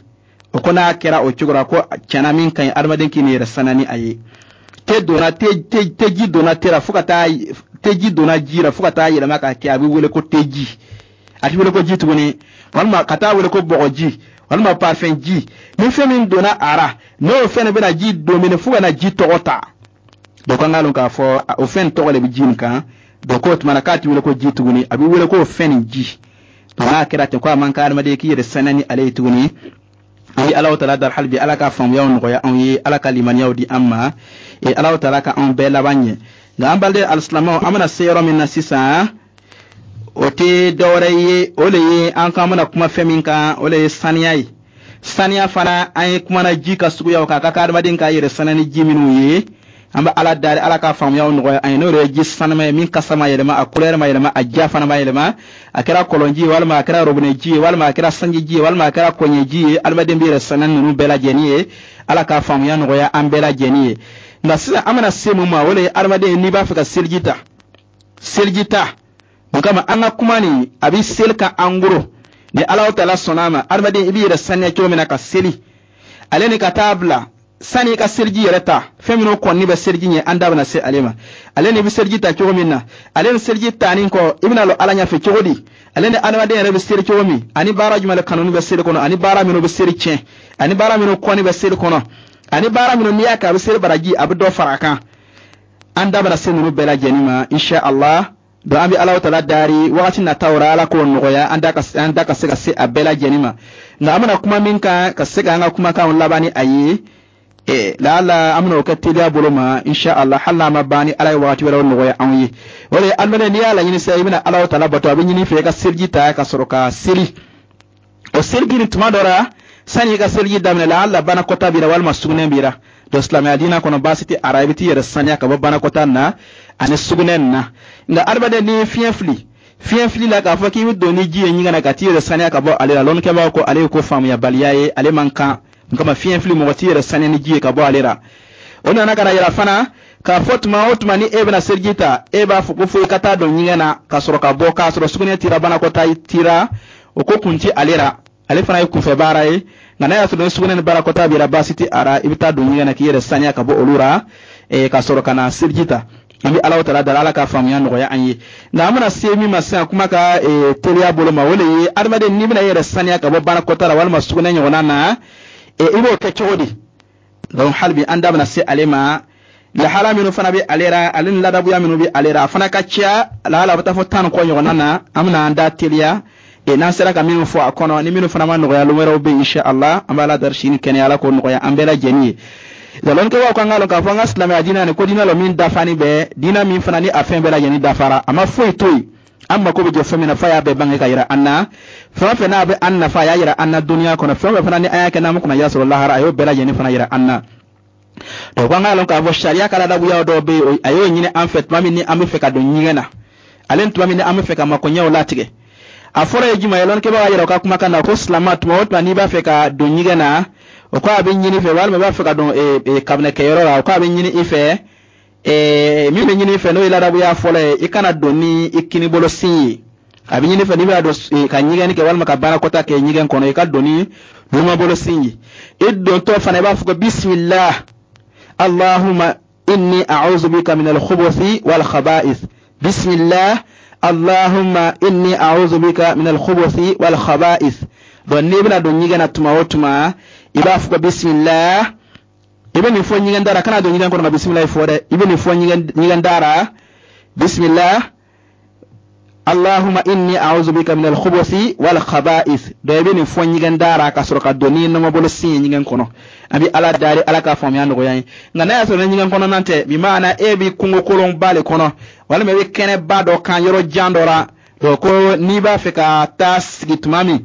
o ko n'a kɛra o cogo la, ko tiɲɛna, min ka ɲi, adamaden k'i ni yɛrɛ saniya ni a ye. Te donna te te teji donna te la fo ka taa, teji donna ji la fo ka taa yɛlɛma k'a kɛ, a bɛ wele ko teji, a tɛ wele ko ji tuguni, walima ka taa wele ko bɔgɔji, walima parfum ji. Ni fɛn min donna a ra, n'o fɛn de bɛna ji dominer fo ka na ji tɔgɔ ta, donc an k'a lɔn k'a fɔ o fɛn tɔgɔ de bɛ ji nin kan. Donc k'o tuma na, k'a tɛ wele ko ji tuguni, a bɛ wele k'o fɛn nin ji. Donc n'a kɛra ten, ko a man kan adamaden k'i yɛrɛ saniya ni ale ye tuguni. An bɛ Alahu taala dari hali bi, Ala ka faamuyaw nɔgɔya anw ye, Ala ka limaniyaw di an ma, e Alahu taala ka anw bɛɛ laban ɲɛ. Nka an baliden alisilamɛw, an bɛna se yɔrɔ min na sisan, o tɛ dɔwɛrɛ ye, o de ye an k'an bɛna kuma fɛn min kan, o de ye saniya ye. Saniya fana, an ye kumana ji ka suguyaw kan, a ka kan adamaden k'a yɛrɛ saniya ni ji minnu ye. An bɛ Ala dari, Ala ka faamuyaw nɔgɔya an ye. N'o de ye ji sanuma ye, min kasa ma yɛlɛma, a couleur ma yɛlɛma, a ja fana ma yɛlɛma, a kɛra kɔlɔnji ye, walima a kɛra robinet ji ye, walima a kɛra sanji ji ye, walima a kɛra kɔɲɛji ye, adamaden bɛ yɛrɛ saniya ninnu bɛɛ lajɛlen ye. Ala ka faamuya nɔgɔya an bɛɛ lajɛlen ye. Nka sisan, an bɛna se mun ma? O de ye adamaden, n'i b'a fɛ ka seliji ta, seliji ta mun kama? An ka kuma nin, a bɛ seli kan en gros. Ni Ala taala sɔnna a ma, adamaden, i b'i yɛrɛ saniya cogo min na ka seli, ale ni ka taa bila sani i ka seliji yɛrɛ ta, fɛn minnu kɔni bɛ seliji ɲɛ, an da bɛna se ale ma. Ale ni i bɛ seliji ta cogo min na, ale ni seliji tanin kɔ, i bɛna lɔ Ala ɲɛfɛ cogo di, ale ni adamaden yɛrɛ bɛ seli cogo min, ani baara jumɛn de kanuni bɛ seli kɔnɔ, ani baara minnu bɛ seli tiɲɛ, ani baara minnu kɔni bɛ seli kɔnɔ, ani baara minnu n'i y'a kɛ, a bɛ seli baraji, a bɛ dɔ fara a kan, an da bɛna se ninnu bɛɛ lajɛlen ma, insha Allah. Donc an bɛ Alahu taala dari, wagati nataw la, Ala k'o nɔgɔya an da ka an da ka se ka se a bɛɛ lajɛlen ma. Nka an bɛna kuma min kan, ka se k'an ka kumakanw laban ni a ye, eh, laala an bɛna o kɛ teliya bolo ma, insha Allah, hali n'a ma ban, ni Ala ye wagati wɛrɛw nɔgɔya anw ye. O de ye, adamaden, n'i y'a laɲini sisan, i bɛna Alahu taala bato, a bɛ ɲini i fɛ i ka seliji ta ka sɔrɔ ka seli. O seliji nin, tuma dɔ la, sani i ka seliji daminɛ, laala banakɔta b'i la, walima sugunɛ b'i la. Donc silamɛya diinɛ kɔnɔ, baasi tɛ a ra, i bɛ t'i yɛrɛ saniya ka bɔ banakɔta na ani sugunɛ nin na. Nka adamaden, n'i ye fiɲɛ fili, fiɲɛ fili la, k'a fɔ k'i bɛ don ni ji ye ɲɛgɛn na ka t'i yɛrɛ saniya ka bɔ ale la, lɔnnikɛbaaw ko ale ye ko faamuyabaliya ye, ale man kan. N kama, fiɲɛ fili, mɔgɔ t'i yɛrɛ saniya ni ji ye ka bɔ ale la. O nana ka na yira fana k'a fɔ tuma o tuma ni e bɛna seliji ta, e b'a fɔ ko fo i ka taa don ɲɛgɛn na ka sɔrɔ ka bɔ, k'a sɔrɔ sugunɛ tira, banakɔta tira, o ko kun ti ale la, ale fana ye kunfɛ baara ye. Nka n'a y'a sɔrɔ ni sugunɛ ni baarakɔta b'i la, baasi tɛ a la, i bɛ taa don ɲɛgɛn na k'i yɛrɛ saniya ka bɔ olu la, ka sɔrɔ ka na seliji ta. An bɛ Alahu taala dali, Ala ka faamuya nɔgɔya an ye. Nka an bɛna se min ma sisan, kuma ka teliya bolo ma, o de ye adamaden, n'i bɛna i yɛrɛ saniya ka bɔ baarakɔta la walima sugunɛ ɲɔgɔnna na, i b'o kɛ cogo di? Donc hali bi, an da bɛna se ale ma. Lahala minnu fana bɛ ale la, ale ni ladabuya minnu bɛ ale la, a fana ka ca, lahala a bɛ taa fɔ tan ni kɔ ɲɔgɔnna na. An bɛna an da teliya e n'an sera ka minnu fɔ a kɔnɔ, ni minnu fana ma nɔgɔya, lon wɛrɛw bɛ yen, insha Allah. An b'a la dari sini kɛnɛya, Ala k'o nɔgɔya an bɛɛ lajɛlen ye. Lɔnnikɛbaaw kan k'a lɔn k'a fɔ an ka silamɛya diinɛ nin ko diinɛ lɔ min dafani bɛɛ, diinɛ min fana ni a fɛn bɛɛ lajɛlen dafara, a ma foyi to yen. An mako bɛ jɔ fɛn min na, f'a y'a bɛɛ bange ka yira an na. Fɛn o fɛn n'a bɛ an nafa, a y'a yira an na duniya kɔnɔ. Fɛn o fɛn fana ni an y'a kɛ n'an ma kunnaja sɔrɔ lahara, a y'o bɛɛ lajɛlen fana yira an na. Donc an k'a lɔn k'a fɔ sariya ka ladabuya dɔw bɛ yen, a y'o ɲini an fɛ tuma min ni an bɛ fɛ ka don ɲɛgɛn na, ale ni tuma min ni an bɛ fɛ ka makoɲɛw latigɛ. A fɔlɔ ye jumɛn ye? Lɔnnikɛbagaw y'a yira u ka kumakan na ko silama, tuma o tuma n'i b'a fɛ ka don ɲɛgɛn na, o ko a bɛ ɲini fɛ, walima i b'a fɛ ka don kabinɛkɛyɔrɔ la, o ko a bɛ ɲini i fɛ. Min bɛ ɲini i fɛ, n'o ye ladabuya fɔlɔ ye, i kana don ni i kinibolo sin ye. A bɛ ɲini fɛ, n'i bɛna don ka ɲɛgɛnni kɛ walima ka baarakɔta kɛ ɲɛgɛn kɔnɔ, i ka don ni numabolo sin ye. I dontɔ fana, i b'a fɔ ko bisimilah allahumma inni a'udhu bika min al-khubuthi wal khaba'ith, bisimilah allahumma inni a'udhu bika min al-khubuthi wal khaba'ith. Donc n'i bɛna don ɲɛgɛn na tuma o tuma, i b'a fɔ ko bisimilah. I bɛ nin fɔ ɲɛgɛn da la. Kana don ɲɛgɛn kɔnɔ ka bisimilah fɔ dɛ. I bɛ nin fɔ ɲɛgɛn da la: bisimilah allahumma inni a'udhu bika min al-khubuthi wal khaba'ith. Donc i bɛ nin fɔ ɲɛgɛn da la ka sɔrɔ ka don ni nɔmɔbolo sin ye ɲɛgɛn kɔnɔ. An bɛ Ala dari, Ala ka faamuya nɔgɔya ye. Nka n'a y'a sɔrɔ ni ɲɛgɛn kɔnɔna tɛ, bi maana e bɛ kungo kolonba le kɔnɔ, walima i bɛ kɛnɛba dɔ kan, yɔrɔ jan dɔ la, donc ko n'i b'a fɛ ka taa sigi tuma min,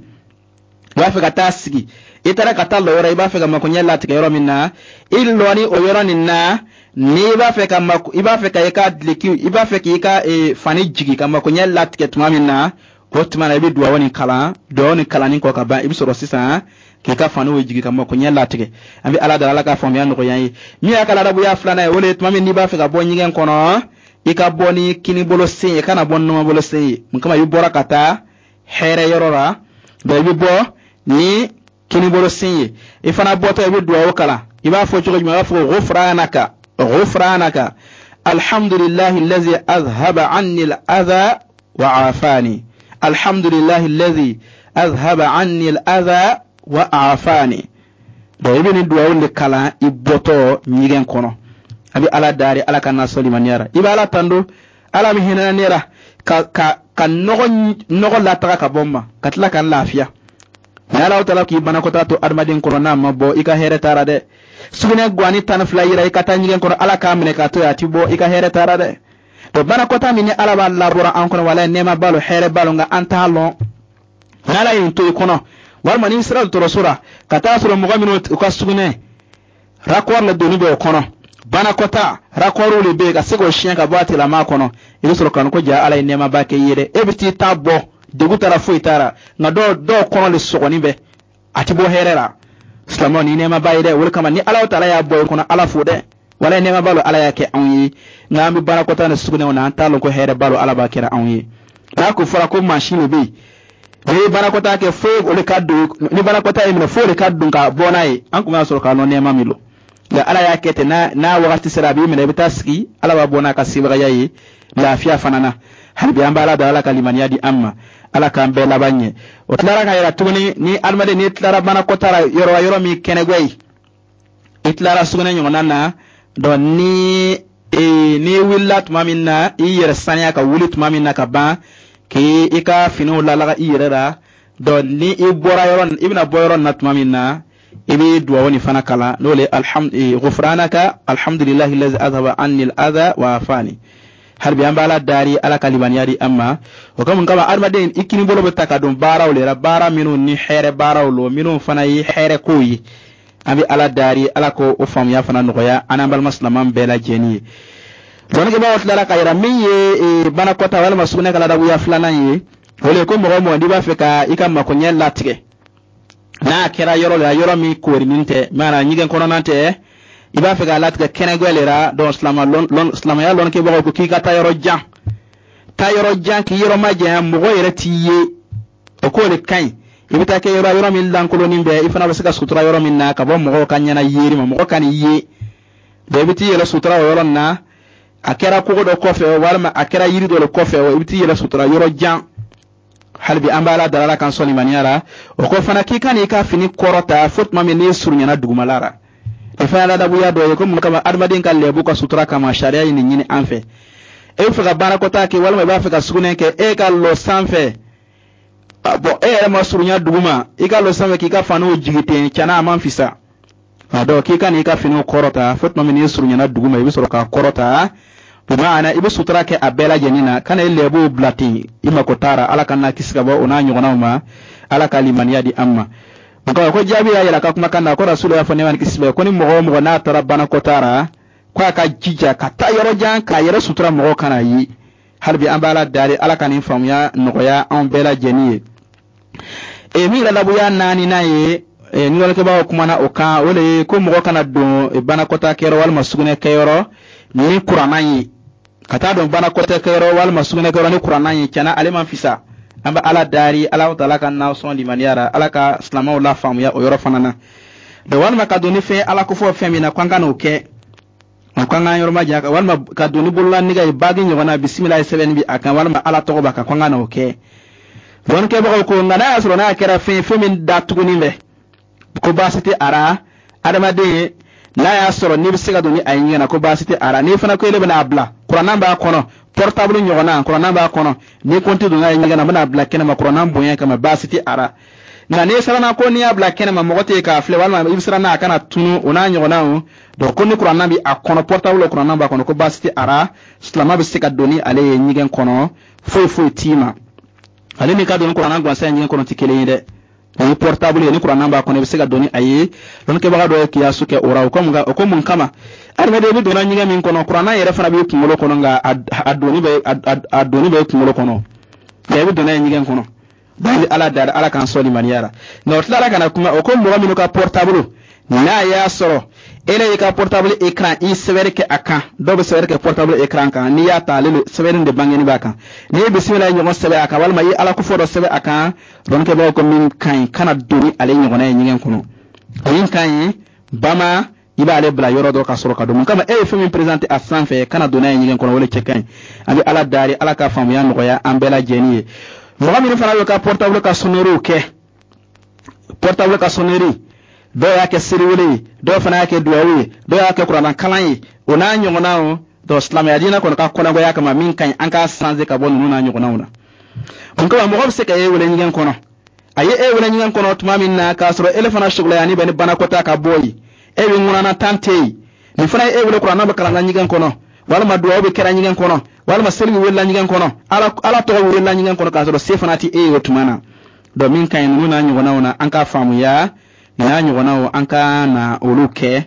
i b'a fɛ ka taa sigi, i taara ka taa lɔ yɔrɔ, i b'a fɛ ka makoɲɛ latigɛ yɔrɔ min na, i lɔ ni o yɔrɔ nin na, n'i b'a fɛ ka mako, i b'a fɛ ka i ka dileki, i b'a fɛ k'i ka fani jigi ka makoɲɛ latigɛ tuma min na, o tuma na i bɛ duwawu nin kalan. Duwawu nin kalanni kɔ ka ban, i bɛ sɔrɔ sisan k'i ka faniw jigi ka makoɲɛ latigɛ. An bɛ Ala deli, Ala ka faamuya nɔgɔya an ye. Min y'a ka ladabuya filanan ye, o de ye tuma min n'i b'a fɛ ka bɔ ɲɛgɛn kɔnɔ, i ka bɔ ni kinibolo sen ye, kana bɔ ni numabolo sen ye. Mun kama? I bɔra ka taa hɛrɛ yɔrɔ la, donc i bɛ bɔ ni kinibolo sen ye. I fana bɔtɔ, i bɛ duwawu kalan. I b'a fɔ cogo jumɛn? I b'a fɔ ghufranaka, ghufranaka, alhamdulillahi allazi azhaba anni al-adha wa afani, alhamdulillahi allazi azhaba anni al-adha wa afani. Donc i bɛ nin duwawu de kalan i bɔtɔ ɲɛgɛn kɔnɔ. A bɛ Ala dari, Ala ka na sɔlimaniya la. I bɛ Ala tando, Ala bɛ hinɛ ne la ka ka ka nɔgɔ nɔgɔ lataga ka bɔ n ma, ka tila ka n lafiya. Ni Ala taala k'i banakɔtaa to adamaden kɔrɔ, n'a ma bɔ, i ka hɛrɛ taara dɛ. Sugunɛ guwani tan ni fila yira i ka taa ɲɛgɛn kɔnɔ, Ala k'a minɛ k'a to yen, a ti bɔ, i ka hɛrɛ taara dɛ. Donc banakɔtaa min ni Ala b'a labɔra an kɔnɔ, walayi, nɛɛma b'a lo, hɛrɛ b'a lo, nka an t'a lɔn. Ni Ala ye nin to i kɔnɔ, walima n'i sera dɔgɔtɔrɔso la ka taa sɔrɔ mɔgɔ minnu u ka sugunɛ raccord le donni bɛ o kɔnɔ, banakɔtaa raccord le bɛ yen ka se k'o siɲɛ ka bɔ a tigilamaa kɔnɔ, i bɛ sɔrɔ ka ko ja Ala ye nɛɛmaba kɛ i ye dɛ. E bɛ t'i ta bɔ, degun taara, foyi taara, nka dɔw dɔw kɔnɔ le sɔgɔni bɛ, a ti bɔ hɛrɛ la. Silamɛw, ni nɛɛmaba ye dɛ. O de kama ni Ala taala y'a bɔ i kɔnɔ, Ala fo dɛ. Wala nɛɛmaba lo Ala y'a kɛ anw ye, nka an bɛ barakɔta ni sugunɛw na, an t'a lɔn ko hɛrɛ ba lo Ala b'a kɛra anw ye. N'a ko fɔra ko mansin de bɛ yen, n'i ye barakɔta kɛ, fo o de ka don, ni barakɔta ye minɛ, fo o de ka don ka bɔ n'a ye. An kun b'a sɔrɔ k'a lɔn nɛɛma min lo, nka Ala y'a kɛ ten. n'a n'a wagati sera, a b'i minɛ, i bɛ taa sigi, Ala b'a bɔ n'a ka sebagaya ye lafiya fana na. Hali bi an bɛ Ala da, Ala ka limaniya di an ma, Ala k'an bɛɛ laban ɲɛ. O tilara ka yira tuguni, ni adamaden n'i tilara banakɔta la yɔrɔ yɔrɔ min kɛnɛgwɛ ye, i tilara sugunɛ ɲɔgɔnna na, donc ni ee n'i wulila tuma min na, i yɛrɛ saniya ka wuli tuma min na ka ban k'i i ka finiw lalaga i yɛrɛ la, donc ni i bɔra yɔrɔ, i bɛna bɔ yɔrɔ na tuma min na, i bɛ duwawu nin fana kalan, n'o le alhamdu ghufranaka alhamdulillahi allazi azhaba anni al-adha wa afani. Hali bi an bɛ Ala dari, Ala ka limaniya di an ma. O kama kama adamaden i kini bolo bɛ ta ka don baaraw le la, baara minnu ni hɛrɛ baaraw lo, minnu fana ye hɛrɛ kow ye. An bɛ Ala dari, Ala ko o faamuya fana nɔgɔya an n'an balima silamɛn bɛɛ lajɛlen ye. Dɔnnikɛbaaw tilara ka yira min ye banakɔta walima sugunɛ ka ladabuya filanan ye, o le ko mɔgɔ o mɔgɔ n'i b'a fɛ ka i ka makoɲɛ latigɛ, n'a kɛra yɔrɔ la, yɔrɔ min koorinin tɛ, maana ɲɛgɛn kɔnɔna tɛ, i b'a fɛ k'a latigɛ kɛnɛgwɛ le la, donc silamɛya lɔnnikɛbagaw ko k'i ka taa yɔrɔ jan, taa yɔrɔ jan k'i yɔrɔ majanya, mɔgɔ yɛrɛ t'i ye, o k'o de ka ɲi. I bɛ taa kɛ yɔrɔ yɔrɔ min lankolonin bɛ, i fana bɛ se ka sutura yɔrɔ min na ka bɔ mɔgɔw ka ɲɛna yeri ma, mɔgɔ ka n'i ye. Donc i bɛ t'i yɛrɛ sutura o yɔrɔ nin na, a kɛra kogo dɔ kɔfɛ walima a kɛra yiri dɔ de kɔfɛ, i bɛ t'i yɛrɛ sutura yɔrɔ jan. Hali bi an bɛ Ala dala, Ala kan sɔn limaniya la. O kɔ fana, k'i ka n'i ka fini kɔrɔta fo tuma min n'i surunyana dugumala la. O fana ladabuya dɔ ye ko mun kama? Adamaden ka lɛbu ka sutura kama, sariya ye nin ɲini an fɛ. E bɛ fɛ ka baarakɔta kɛ walima i b'a fɛ ka sugunɛ kɛ, e ka lɔ sanfɛ, bɔn e yɛrɛ ma surunya duguma, i ka lɔ sanfɛ k'i ka faniw jigi ten, cana a man fisa. A dɔn k'i ka n'i ka finiw kɔrɔta fo tuma min n'i surunyana duguma, i bɛ sɔrɔ k'a kɔrɔta. Bimaana, i bɛ sutura kɛ a bɛɛ lajɛlen na, kana i lɛbuw bila ten, i mako t'a ra. Ala ka n'a kisi ka bɔ o n'a ɲɔgɔnnaw ma. Ala ka limaniya di an ma. Nka ko jaabi y'a yira ka kumakan na ko Rasulu y'a fɔ, nɛɛma ni kisi bɛ, ko ni mɔgɔ o mɔgɔ n'a taara banakɔtaa ra, ko a ka jija ka taa yɔrɔ jan k'a yɛrɛ sutura, mɔgɔw kana ye. Hali bi an bɛ Ala dari, Ala ka nin faamuya nɔgɔya anw bɛɛ lajɛlen ye. E min yɛrɛ labuya naaninan ye, ni lɔnnikɛbagaw kumana o kan, o de ye ko mɔgɔ kana don banakɔtaa kɛyɔrɔ walima sugunɛ kɛyɔrɔ ni kuranna ye. Ka taa don banakɔtaa kɛyɔrɔ walima sugunɛ kɛyɔrɔ ni kuranna ye, tiɲɛna, ale man fisa. An bɛ Ala dari, Ala taala ka n'aw sɔn limaniya ra, Ala ka silamɛw la faamuya o yɔrɔ fana na. Donc walima ka don ni fɛn Ala kofɔ fɛn min na, ko an ka n'o kɛ, o ko an k'an yɔrɔ ma janya, walima ka don ni bolola nɛgɛ ye, bague ɲɔgɔnna, bisimila ye sɛbɛnni bi a kan walima Ala tɔgɔ b'a kan, ko an ka n'o kɛ. Dɔnnikɛbagaw ko nka n'a y'a sɔrɔ n'a kɛra fɛn ye, fɛn min datuguni bɛ, ko baasi tɛ a ra. Adamaden n'a y'a sɔrɔ n'i bɛ se ka don ni a ye ɲɛgɛn na, ko baasi tɛ a ra. N'i fana ko ele bɛna a bila, kuranna b'a kɔnɔ, portable ɲɔgɔnna, kuranna b'a kɔnɔ, n'i ko n tɛ don n'a ye ɲɛgɛn na, n bɛna a bila kɛnɛma kuranna bonya kama, baasi tɛ a ra. Nka n'i siranna ko n'i y'a bila kɛnɛma, mɔgɔ tɛ yen k'a filɛ, walima i bɛ siran n'a kana tunu, o n'a ɲɔgɔnnaw, donc ko ni kuranna bɛ a kɔnɔ, portable kuranna b'a kɔnɔ, ko baasi tɛ a ra, silamɛ bɛ se ka don ni ale ye ɲɛgɛn kɔnɔ, foyi foyi t'i ma. Ale ni ka don ni kuranna gansan ye ɲɛgɛn kɔnɔ tɛ kelen ye dɛ. O ye portable ye, ni kuranna b'a kɔnɔ, i bɛ se ka don ni a ye. Lɔnnikɛbaga dɔ ye kiyasu kɛ o ra. O ko mun o ko mun kama? Adamaden i bɛ donna ɲɛgɛn min kɔnɔ, kuranna yɛrɛ fana b'i kunkolo kɔnɔ, nka a donni bɛ a donni bɛ kunkolo kɔnɔ, nka i bɛ don n'a ye ɲɛgɛn kɔnɔ. Donc i bɛ Ala dari, Ala k'an sɔn limaniya la. Nka o tilara ka na kuma, o ko mɔgɔ minnu ka portable, n'a y'a sɔrɔ e y'i ka portable écran, i sɛbɛnni kɛ a kan, dɔw bɛ sɛbɛnni kɛ portable écran kan, n'i y'a ta, ale sɛbɛnni de bangeni b'a kan, n'i ye bisimila ɲɔgɔn sɛbɛn a kan walima i ye Ala kofɔ dɔ sɛbɛn a kan, dɔnnikɛbagaw ko min ka ɲi, kana don ni ale ɲɔgɔnna ye ɲɛgɛn kɔnɔ. Min ka ɲi bama, i b'ale bila yɔrɔ dɔ ka sɔrɔ ka don. Mun kama? E ye fɛn min présenter a sanfɛ, kana don n'a ye ɲɛgɛn kɔnɔ, o de cɛ ka ɲi. An bɛ Ala dari, Ala ka faamuya nɔgɔya an bɛɛ lajɛlen ye. Mɔgɔ minnu fana bɛ ka portable ka sonnerie kɛ, portable ka sonnerie, dɔw y'a kɛ seliwele ye, dɔw fana y'a kɛ duwawu ye, dɔw y'a kɛ kuranna kalan ye, o n'a ɲɔgɔnnaw. Donc silamɛya diinɛ kɔnɔ ka kɔnɔgoya kama, min ka ɲi, an k'a changer ka bɔ ninnu n'a ɲɔgɔnnaw na. Mun kama? Mɔgɔ bɛ se ka e wele ɲɛgɛn kɔnɔ. A ye e wele ɲɛgɛn kɔnɔ tuma min na, k'a sɔrɔ ele fana sugulayani bɛ ni banakɔtaa ka bɔ yen, e bɛ ŋunana tan tɛ yen, nin fana ye e wele, kuranna bɛ kalan na ɲɛgɛn kɔnɔ, walima duwawu bɛ kɛra ɲɛgɛn kɔnɔ, walima seli bɛ welela ɲɛgɛn kɔnɔ, ala ala tɔgɔ bɛ welela ɲɛgɛn kɔnɔ, k'a sɔrɔ se fana tɛ e ye o tuma na. Donc min ka ɲi, ninnu n'a ɲɔgɔnnaw na, an k'a faamuya, nin n'a ɲɔgɔnnaw, an ka na olu kɛ,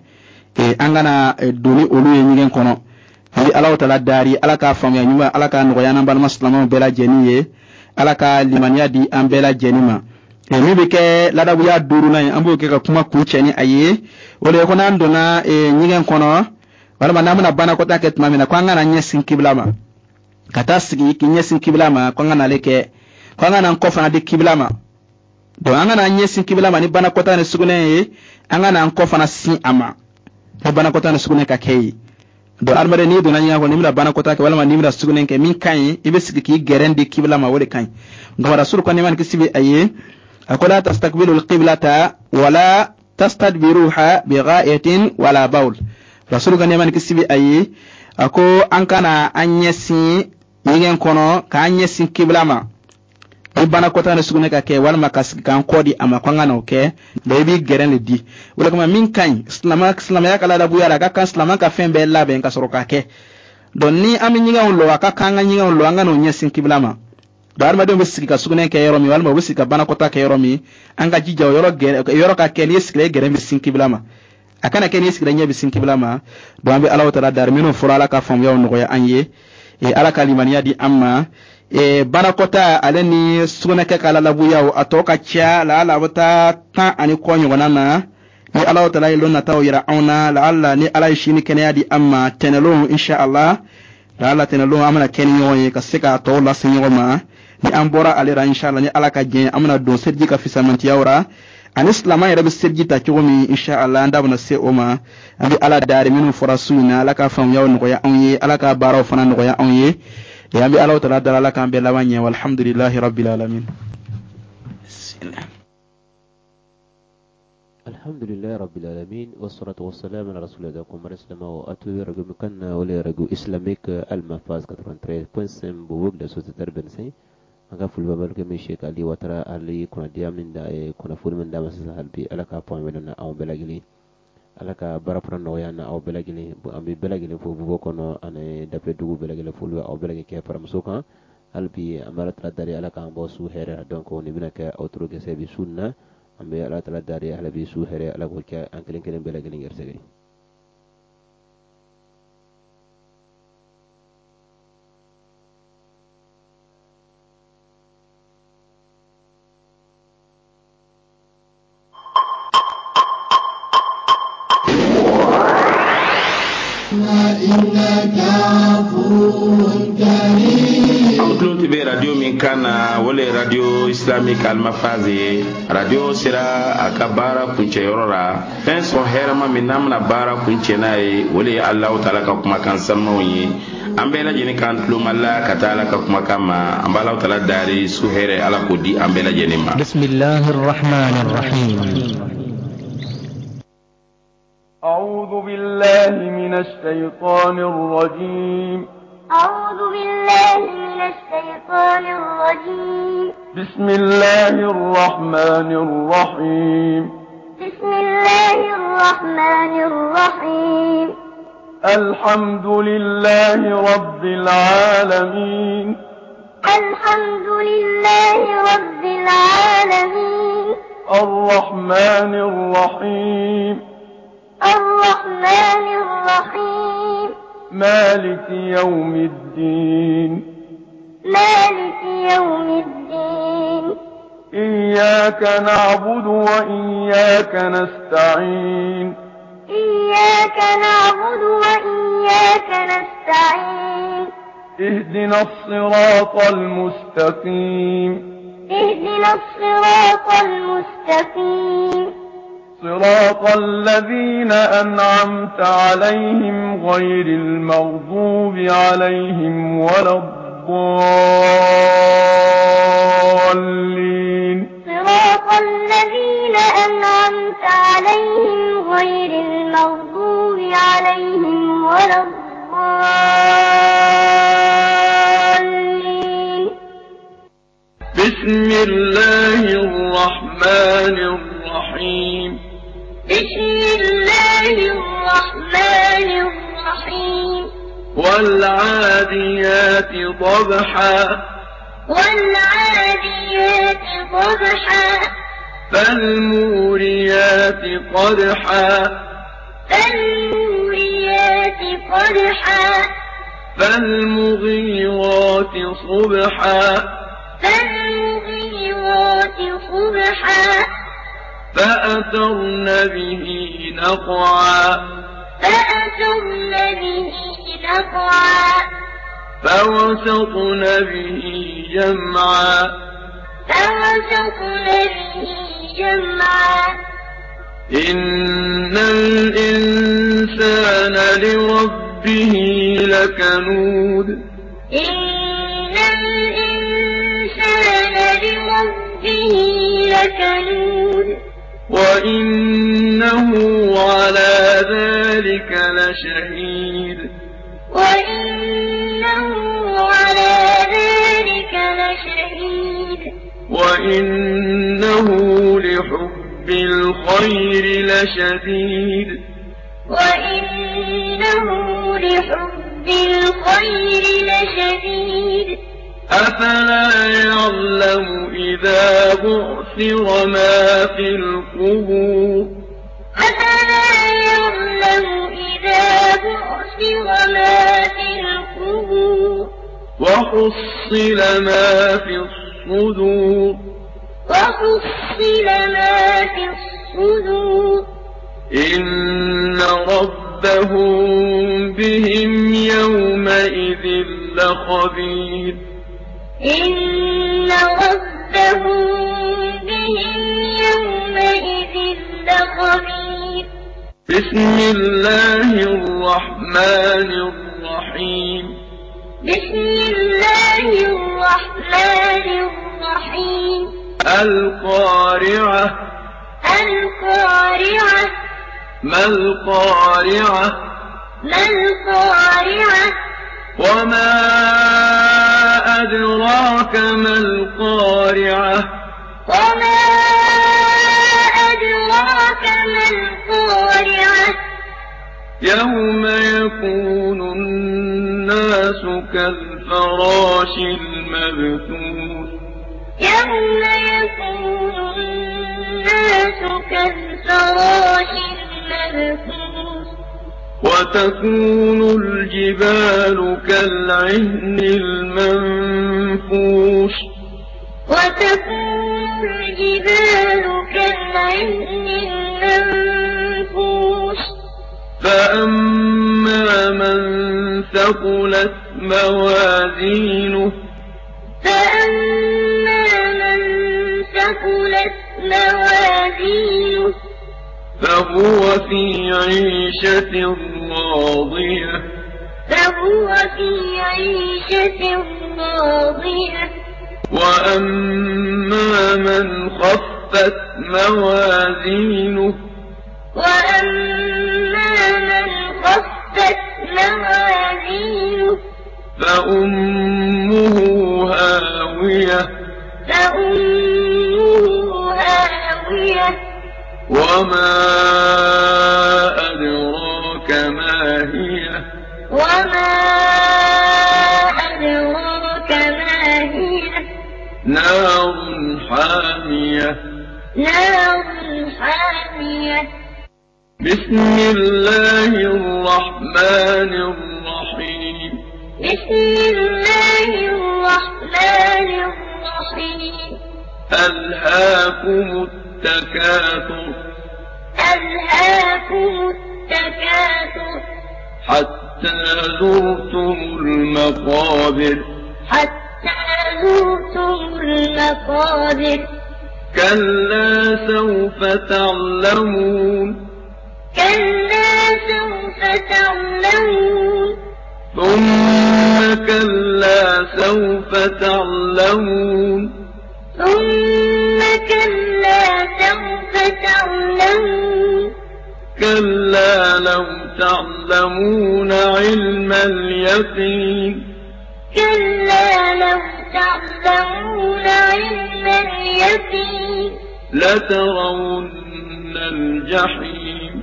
an kana don ni olu ye ɲɛgɛn kɔnɔ. An bɛ Ala taala dari, Ala k'a faamuya ɲuman, Ala k'a nɔgɔya n'an balima silamɛw bɛɛ lajɛlen ye, Ala ka limaniya di an bɛɛ lajɛlen ma. Min bɛ kɛ ladabuya duurunan ye, an b'o kɛ ka kuma kuncɛ ni a ye, o de ye ko n'an donna ɲɛgɛn kɔnɔ walima n'an bɛna banakɔtaa kɛ tuma min na, ko an kana ɲɛsin kibila ma, ka taa sigi k'i ɲɛsin kibila ma, ko an kana ale kɛ, ko an kana an kɔ fana di kibila ma. Donc an kana ɲɛsin kibila ma ni banakɔtaa ni sugunɛ ye, an kana an kɔ fana sin a ma ni banakɔtaa ni sugunɛ ka kɛ ye. Donc adamaden, n'i donna ɲɛgɛn kɔnɔ, n'i bɛna banakɔtaa kɛ walima n'i bɛna sugunɛ kɛ, min ka ɲi, i bɛ sigi k'i gɛrɛn di kibila ma, o de ka ɲi. Nka Rasulu ko, nɛɛma ni kisi bɛ a ye, a ko: la tastaqbilu alqiblata wala tastadbiruha bighaitin wala bawl. Rasulu ka nɛɛma ni kisi bɛ a ye, a ko an kana an ɲɛsin ɲɛgɛn kɔnɔ k'an ɲɛsin kibila ma ni banakɔtaa ni sugunɛ ka kɛ, walima ka sigi k'an kɔ di a ma, ko an ka n'o kɛ. Donc i b'i gɛrɛn de di. O de kama, min ka ɲi silamɛya ka ladabuya la, a ka kan silamɛ ka fɛn bɛɛ labɛn ka sɔrɔ k'a kɛ. Donc ni an bɛ ɲɛgɛnw lɔ, a ka kan an ka ɲɛgɛnw lɔ, an ka n'o ɲɛsin kibila ma. Donc adamadenw bɛ sigi ka sugunɛ kɛ yɔrɔ min, walima u bɛ sigi ka banakɔtaa kɛ yɔrɔ min, an ka jija o yɔrɔ gɛrɛ yɔrɔ ka kɛ n'i ye sigira, i gɛrɛn bɛ sin kibila ma. A kana kɛ n'i sigira, ɲɛ bɛ sin kibila ma. Donc an bɛ Ala taala dari, minnu fɔra, Ala ka faamuyaw nɔgɔya an ye, Ala ka limaniya di an ma. Banakɔtaa ale ni sugunɛkɛ ka lalabuyaw, a tɔ ka ca laala a bɛ taa tan ani kɔ ɲɔgɔnna na. Ni Ala taala ye lon nataw yira anw na, laala ni Ala ye sini kɛnɛya di an ma, tɛnɛlon insha Allah, laala tɛnɛlon an bɛna kɛ ni ɲɔgɔn ye ka se k'a tɔw lase ɲɔgɔn ma. Ni an bɔra ale la insha Allah, ni Ala ka jɛn, an bɛna don seliji ka fisamantiyaw ra ani silamɛ yɛrɛ bɛ seliji ta cogo min, insha Allah, an da bɛna se o ma. An bɛ Ala dari, minnu fɔra su in na, Ala ka faamuyaw nɔgɔya anw ye, Ala ka baaraw fana nɔgɔya anw ye. An bɛ Ala taala dara, Ala k'an bɛɛ laban ɲɛ. Walhamdulilahi rabbil alamin. Alhamdulilahi rabbil alamin, wassalatu wassalamu ala rasulillah. Ko mara silamaw, a tulo bɛ radio min kan na, o le ye Radio Islamique Al Mafaz quatre-vingt-treize point cinq, Bobo de Société vingt-cinq. An ka foli bɛ balimakɛ min Sheikh Ali Watara, Ali kunnadiya min da, kunnafoni min d'a ma sisan, hali bi Ala k'a fɔ an bɛ na anw bɛɛ lajɛlen. Ala ka baara fana nɔgɔya na aw bɛɛ lajɛlen. An bɛ bɛɛ lajɛlen fo Bobo kɔnɔ ani dafɛ dugu bɛɛ lajɛlen, foli aw bɛɛ lajɛlen kɛ faramuso kan. Hali bi an bɛ Ala tala dari, Ala k'an bɔ su hɛrɛ la. Donc nin bɛna kɛ aw toro gɛsɛ bi su na. An bɛ Ala tala dari, hali bi su hɛrɛ, Ala k'o kɛ an kelen kelen bɛɛ lajɛlen gɛrɛsɛgɛ ye. Aw tulo tun bɛ radio min kan na, o le ye radio islamique Almafaz ye. Radio sera a ka baara kuncɛyɔrɔ la. Fɛn sɔn hɛrɛma min n'an bɛna baara kuncɛ n'a ye, o le ye Alahu taala ka kumakan sanumaw ye. An bɛɛ lajɛlen k'an tulomala ka taa Ala ka kumakan ma. An b'Alahu taala dari, su hɛrɛ, Ala k'o di an bɛɛ lajɛlen ma. بسم الله الرحمن الرحيم. أعوذ بالله من الشيطان الرجيم. أعوذ بالله من الشيطان الرجيم. بسم الله الرحمن الرحيم. بسم الله الرحمن الرحيم. الحمد لله رب العالمين. الحمد لله رب العالمين. الرحمن الرحيم. الرحمن الرحيم. مالك يوم الدين. مالك يوم الدين. إياك نعبد وإياك نستعين. إياك نعبد وإياك نستعين. اهدنا الصراط المستقيم. اهدنا الصراط المستقيم. صراط الذين أنعمت عليهم غير المغضوب عليهم ولا الضالين. صراط الذين أنعمت عليهم غير المغضوب عليهم ولا الضالين. بسم الله الرحمن الرحيم. بسم الله الرحمن الرحيم. والعاديات ضبحا. والعاديات ضبحا. فالموريات قدحا. فالموريات قدحا. فالمغيرات صبحا. فالمغيرات صبحا. فأثرن به نقعا. فأثرن به نقعا. فوسطن به جمعا. فوسطن به جمعا. إن الإنسان لربه لكنود. إن الإنسان لربه لكنود. وإنه على ذلك لشهيد. وإنه على ذلك لشهيد. وإنه لحب الخير لشديد. وإنه لحب الخير لشديد. أفلا يعلم إذا بعثر ما في القبور. أفلا يعلم إذا بعثر ما في القبور. وحصل ما في الصدور. وحصل ما في الصدور. إن ربهم بهم يومئذ لخبير. إن ربهم بهم يومئذ لخبير. بسم الله الرحمن الرحيم. بسم الله الرحمن الرحيم. القارعة. القارعة. ما القارعة؟ ما القارعة؟ وما أدراك ما القارعة؟ وما أدراك ما القارعة؟ يوم يكون الناس كالفراش المبثوث. يوم يكون الناس كالفراش المبثوث. وتكون الجبال كالعهن المنفوش. وتكون الجبال كالعهن المنفوش. فأما من ثقلت موازينه. فأما من ثقلت موازينه. فهو في عيشة راضية. فهو في عيشة راضية. وأما من خفت موازينه. وأما من خفت موازينه. فأمه هاوية. فأمه هاوية. وما أدراك ما هي. وما أدراك ما هي. نار حامية. نار حامية. بسم الله الرحمن الرحيم. بسم الله الرحمن الرحيم. ألهاكم التكاثر. ألهاكم التكاثر. حتى زرتم المقابر. حتى زرتم المقابر. كلا سوف تعلمون. كلا سوف تعلمون. ثم كلا سوف تعلمون. ثم كلا سوف تعلمون. كلا لو تعلمون علم اليقين. كلا لو تعلمون علم اليقين. لترون الجحيم.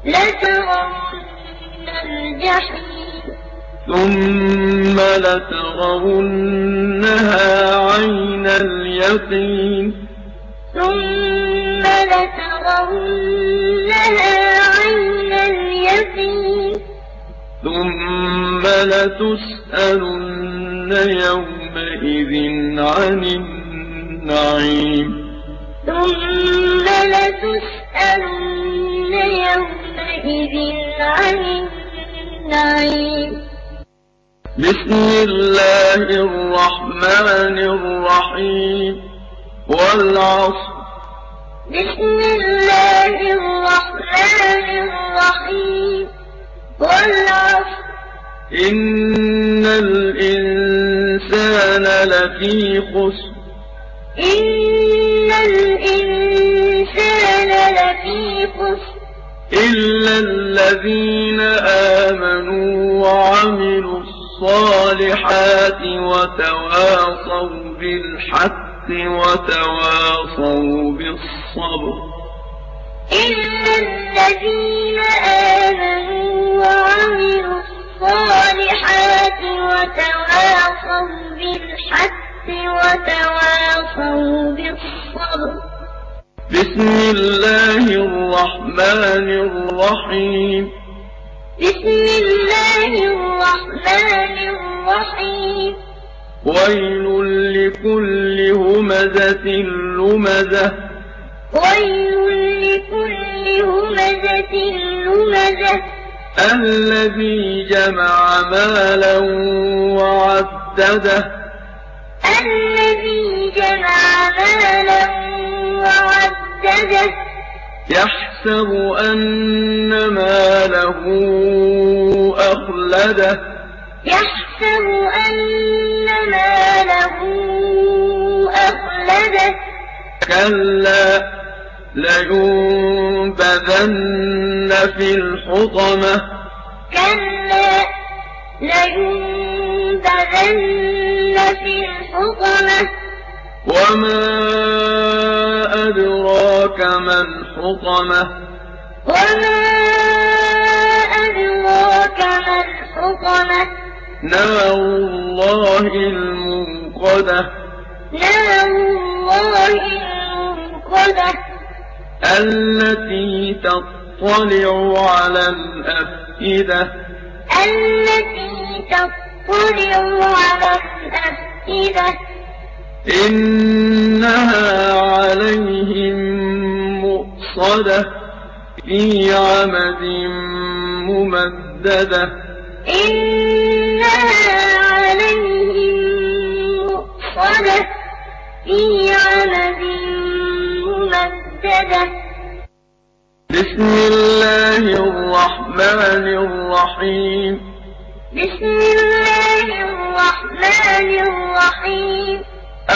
لترون الجحيم. ثم لترونها عين اليقين. ثم لترونها عين اليقين. ثم لتسألن يومئذ عن النعيم. ثم لتسألن يومئذ عن النعيم. بسم الله الرحمن الرحيم. والعصر. بسم الله الرحمن الرحيم. والعصر. إن الإنسان لفي خسر. إن الإنسان لفي خسر. إلا الذين آمنوا وعملوا الصالحات وتواصوا بالحق وتواصوا بالصبر. إلا الذين آمنوا وعملوا الصالحات وتواصوا بالحق وتواصوا بالصبر. بسم الله الرحمن الرحيم. بسم الله الرحمن الرحيم. ويل لكل همزة لمزة. ويل لكل همزة لمزة. الذي جمع مالا وعدده. الذي جمع مالا وعدده. يحسب أن ماله أخلده. يحسب أن ماله أخلده. كلا لينبذن في الحطمة. كلا لينبذن في الحطمة. وما أدراك ما الحطمة. وما أدراك ما الحطمة؟ نار الله الموقدة. نار الله الموقدة. التي تطلع على الأفئدة. التي تطلع على الأفئدة. إنها عليهم مؤصدة في عمد ممددة. إنها عليهم مؤصدة في عمد ممددة. بسم الله الرحمن الرحيم. بسم الله الرحمن الرحيم.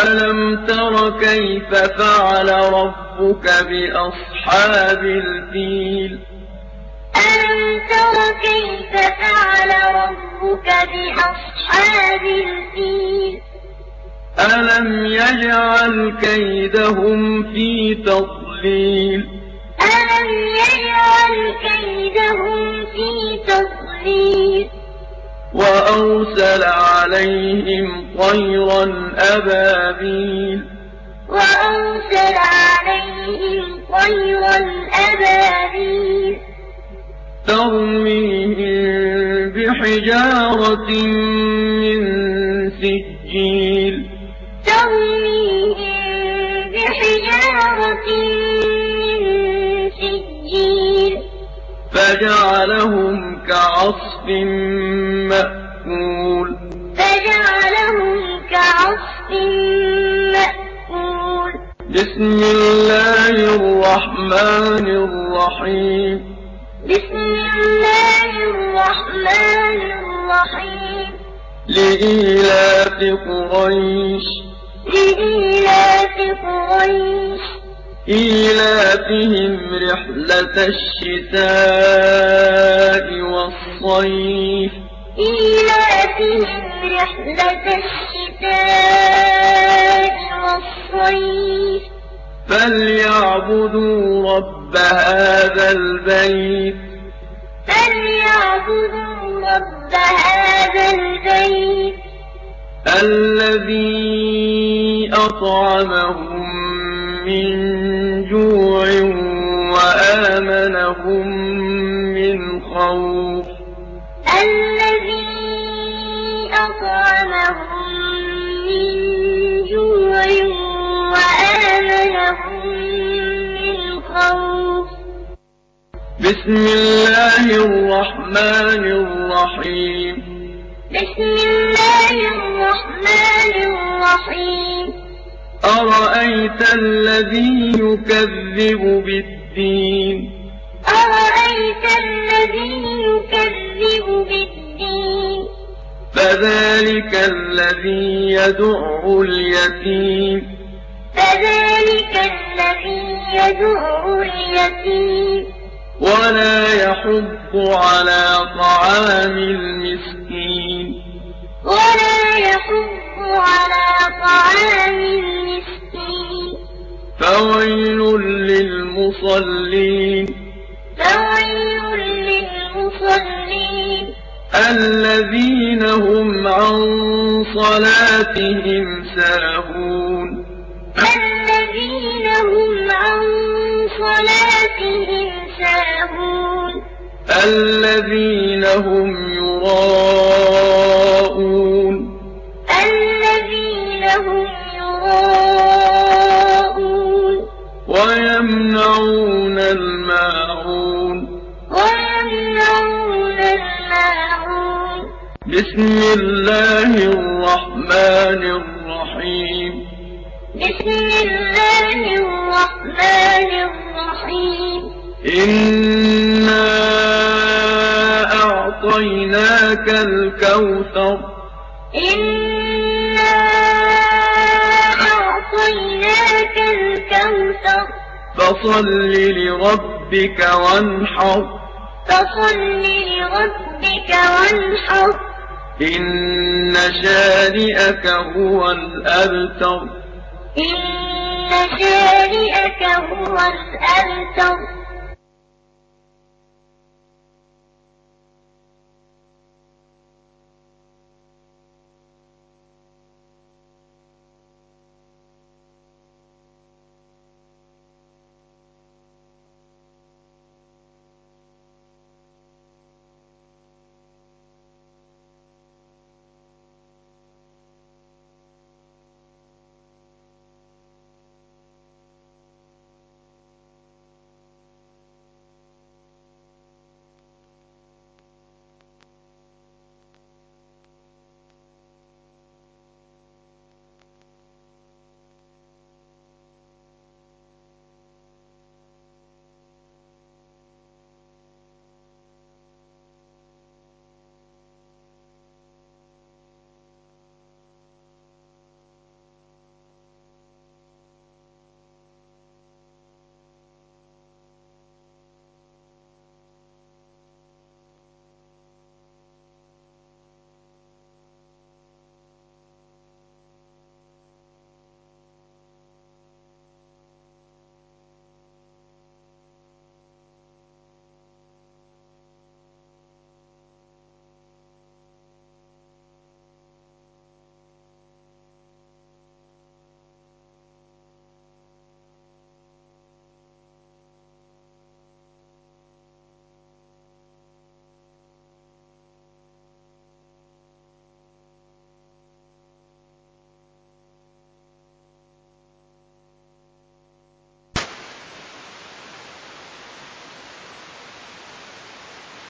ألم تر كيف فعل ربك بأصحاب الفيل؟ ألم تر كيف فعل ربك بأصحاب الفيل؟ ألم يجعل كيدهم في تضليل؟ ألم يجعل كيدهم في تضليل؟ وأرسل عليهم طيرا أبابيل. وأرسل عليهم طيرا أبابيل. ترميهم بحجارة من سجيل. ترميهم بحجارة من سجيل. فجعلهم كعصف مأكول. فجعلهم كعصف مأكول. بسم الله الرحمن الرحيم. بسم الله الرحمن الرحيم. لإيلاف قريش. لإيلاف قريش. إيلافهم رحلة الشتاء والصيف. إيلافهم رحلة الشتاء والصيف. فليعبدوا رب هذا البيت. فليعبدوا رب هذا البيت. الذي أطعمهم من جوع وآمنهم من خوف. الذي أطعمهم من جوع وآمنهم من خوف. بسم الله الرحمن الرحيم. بسم الله الرحمن الرحيم. أرأيت الذي يكذب بالدين؟ أرأيت الذي يكذب بالدين؟ فذلك الذي يدع اليتيم. فذلك الذي يدع اليتيم. ولا يحض على طعام المسكين. ولا يحض على طعام المسكين. فويل للمصلين. فويل للمصلين. الذين هم عن صلاتهم ساهون. الذين هم عن صلاتهم ساهون. الذين هم يراءون. الذين هم يراءون. ويمنعون الماعون. ويمنعون الماعون. بسم الله الرحمن الرحيم. بسم الله الرحمن الرحيم. إنا أعطيناك الكوثر. إنا أعطيناك الكوثر. فصل لربك وانحر. فصل لربك وانحر. إن شانئك هو الأبتر. إن شانئك هو الأبتر.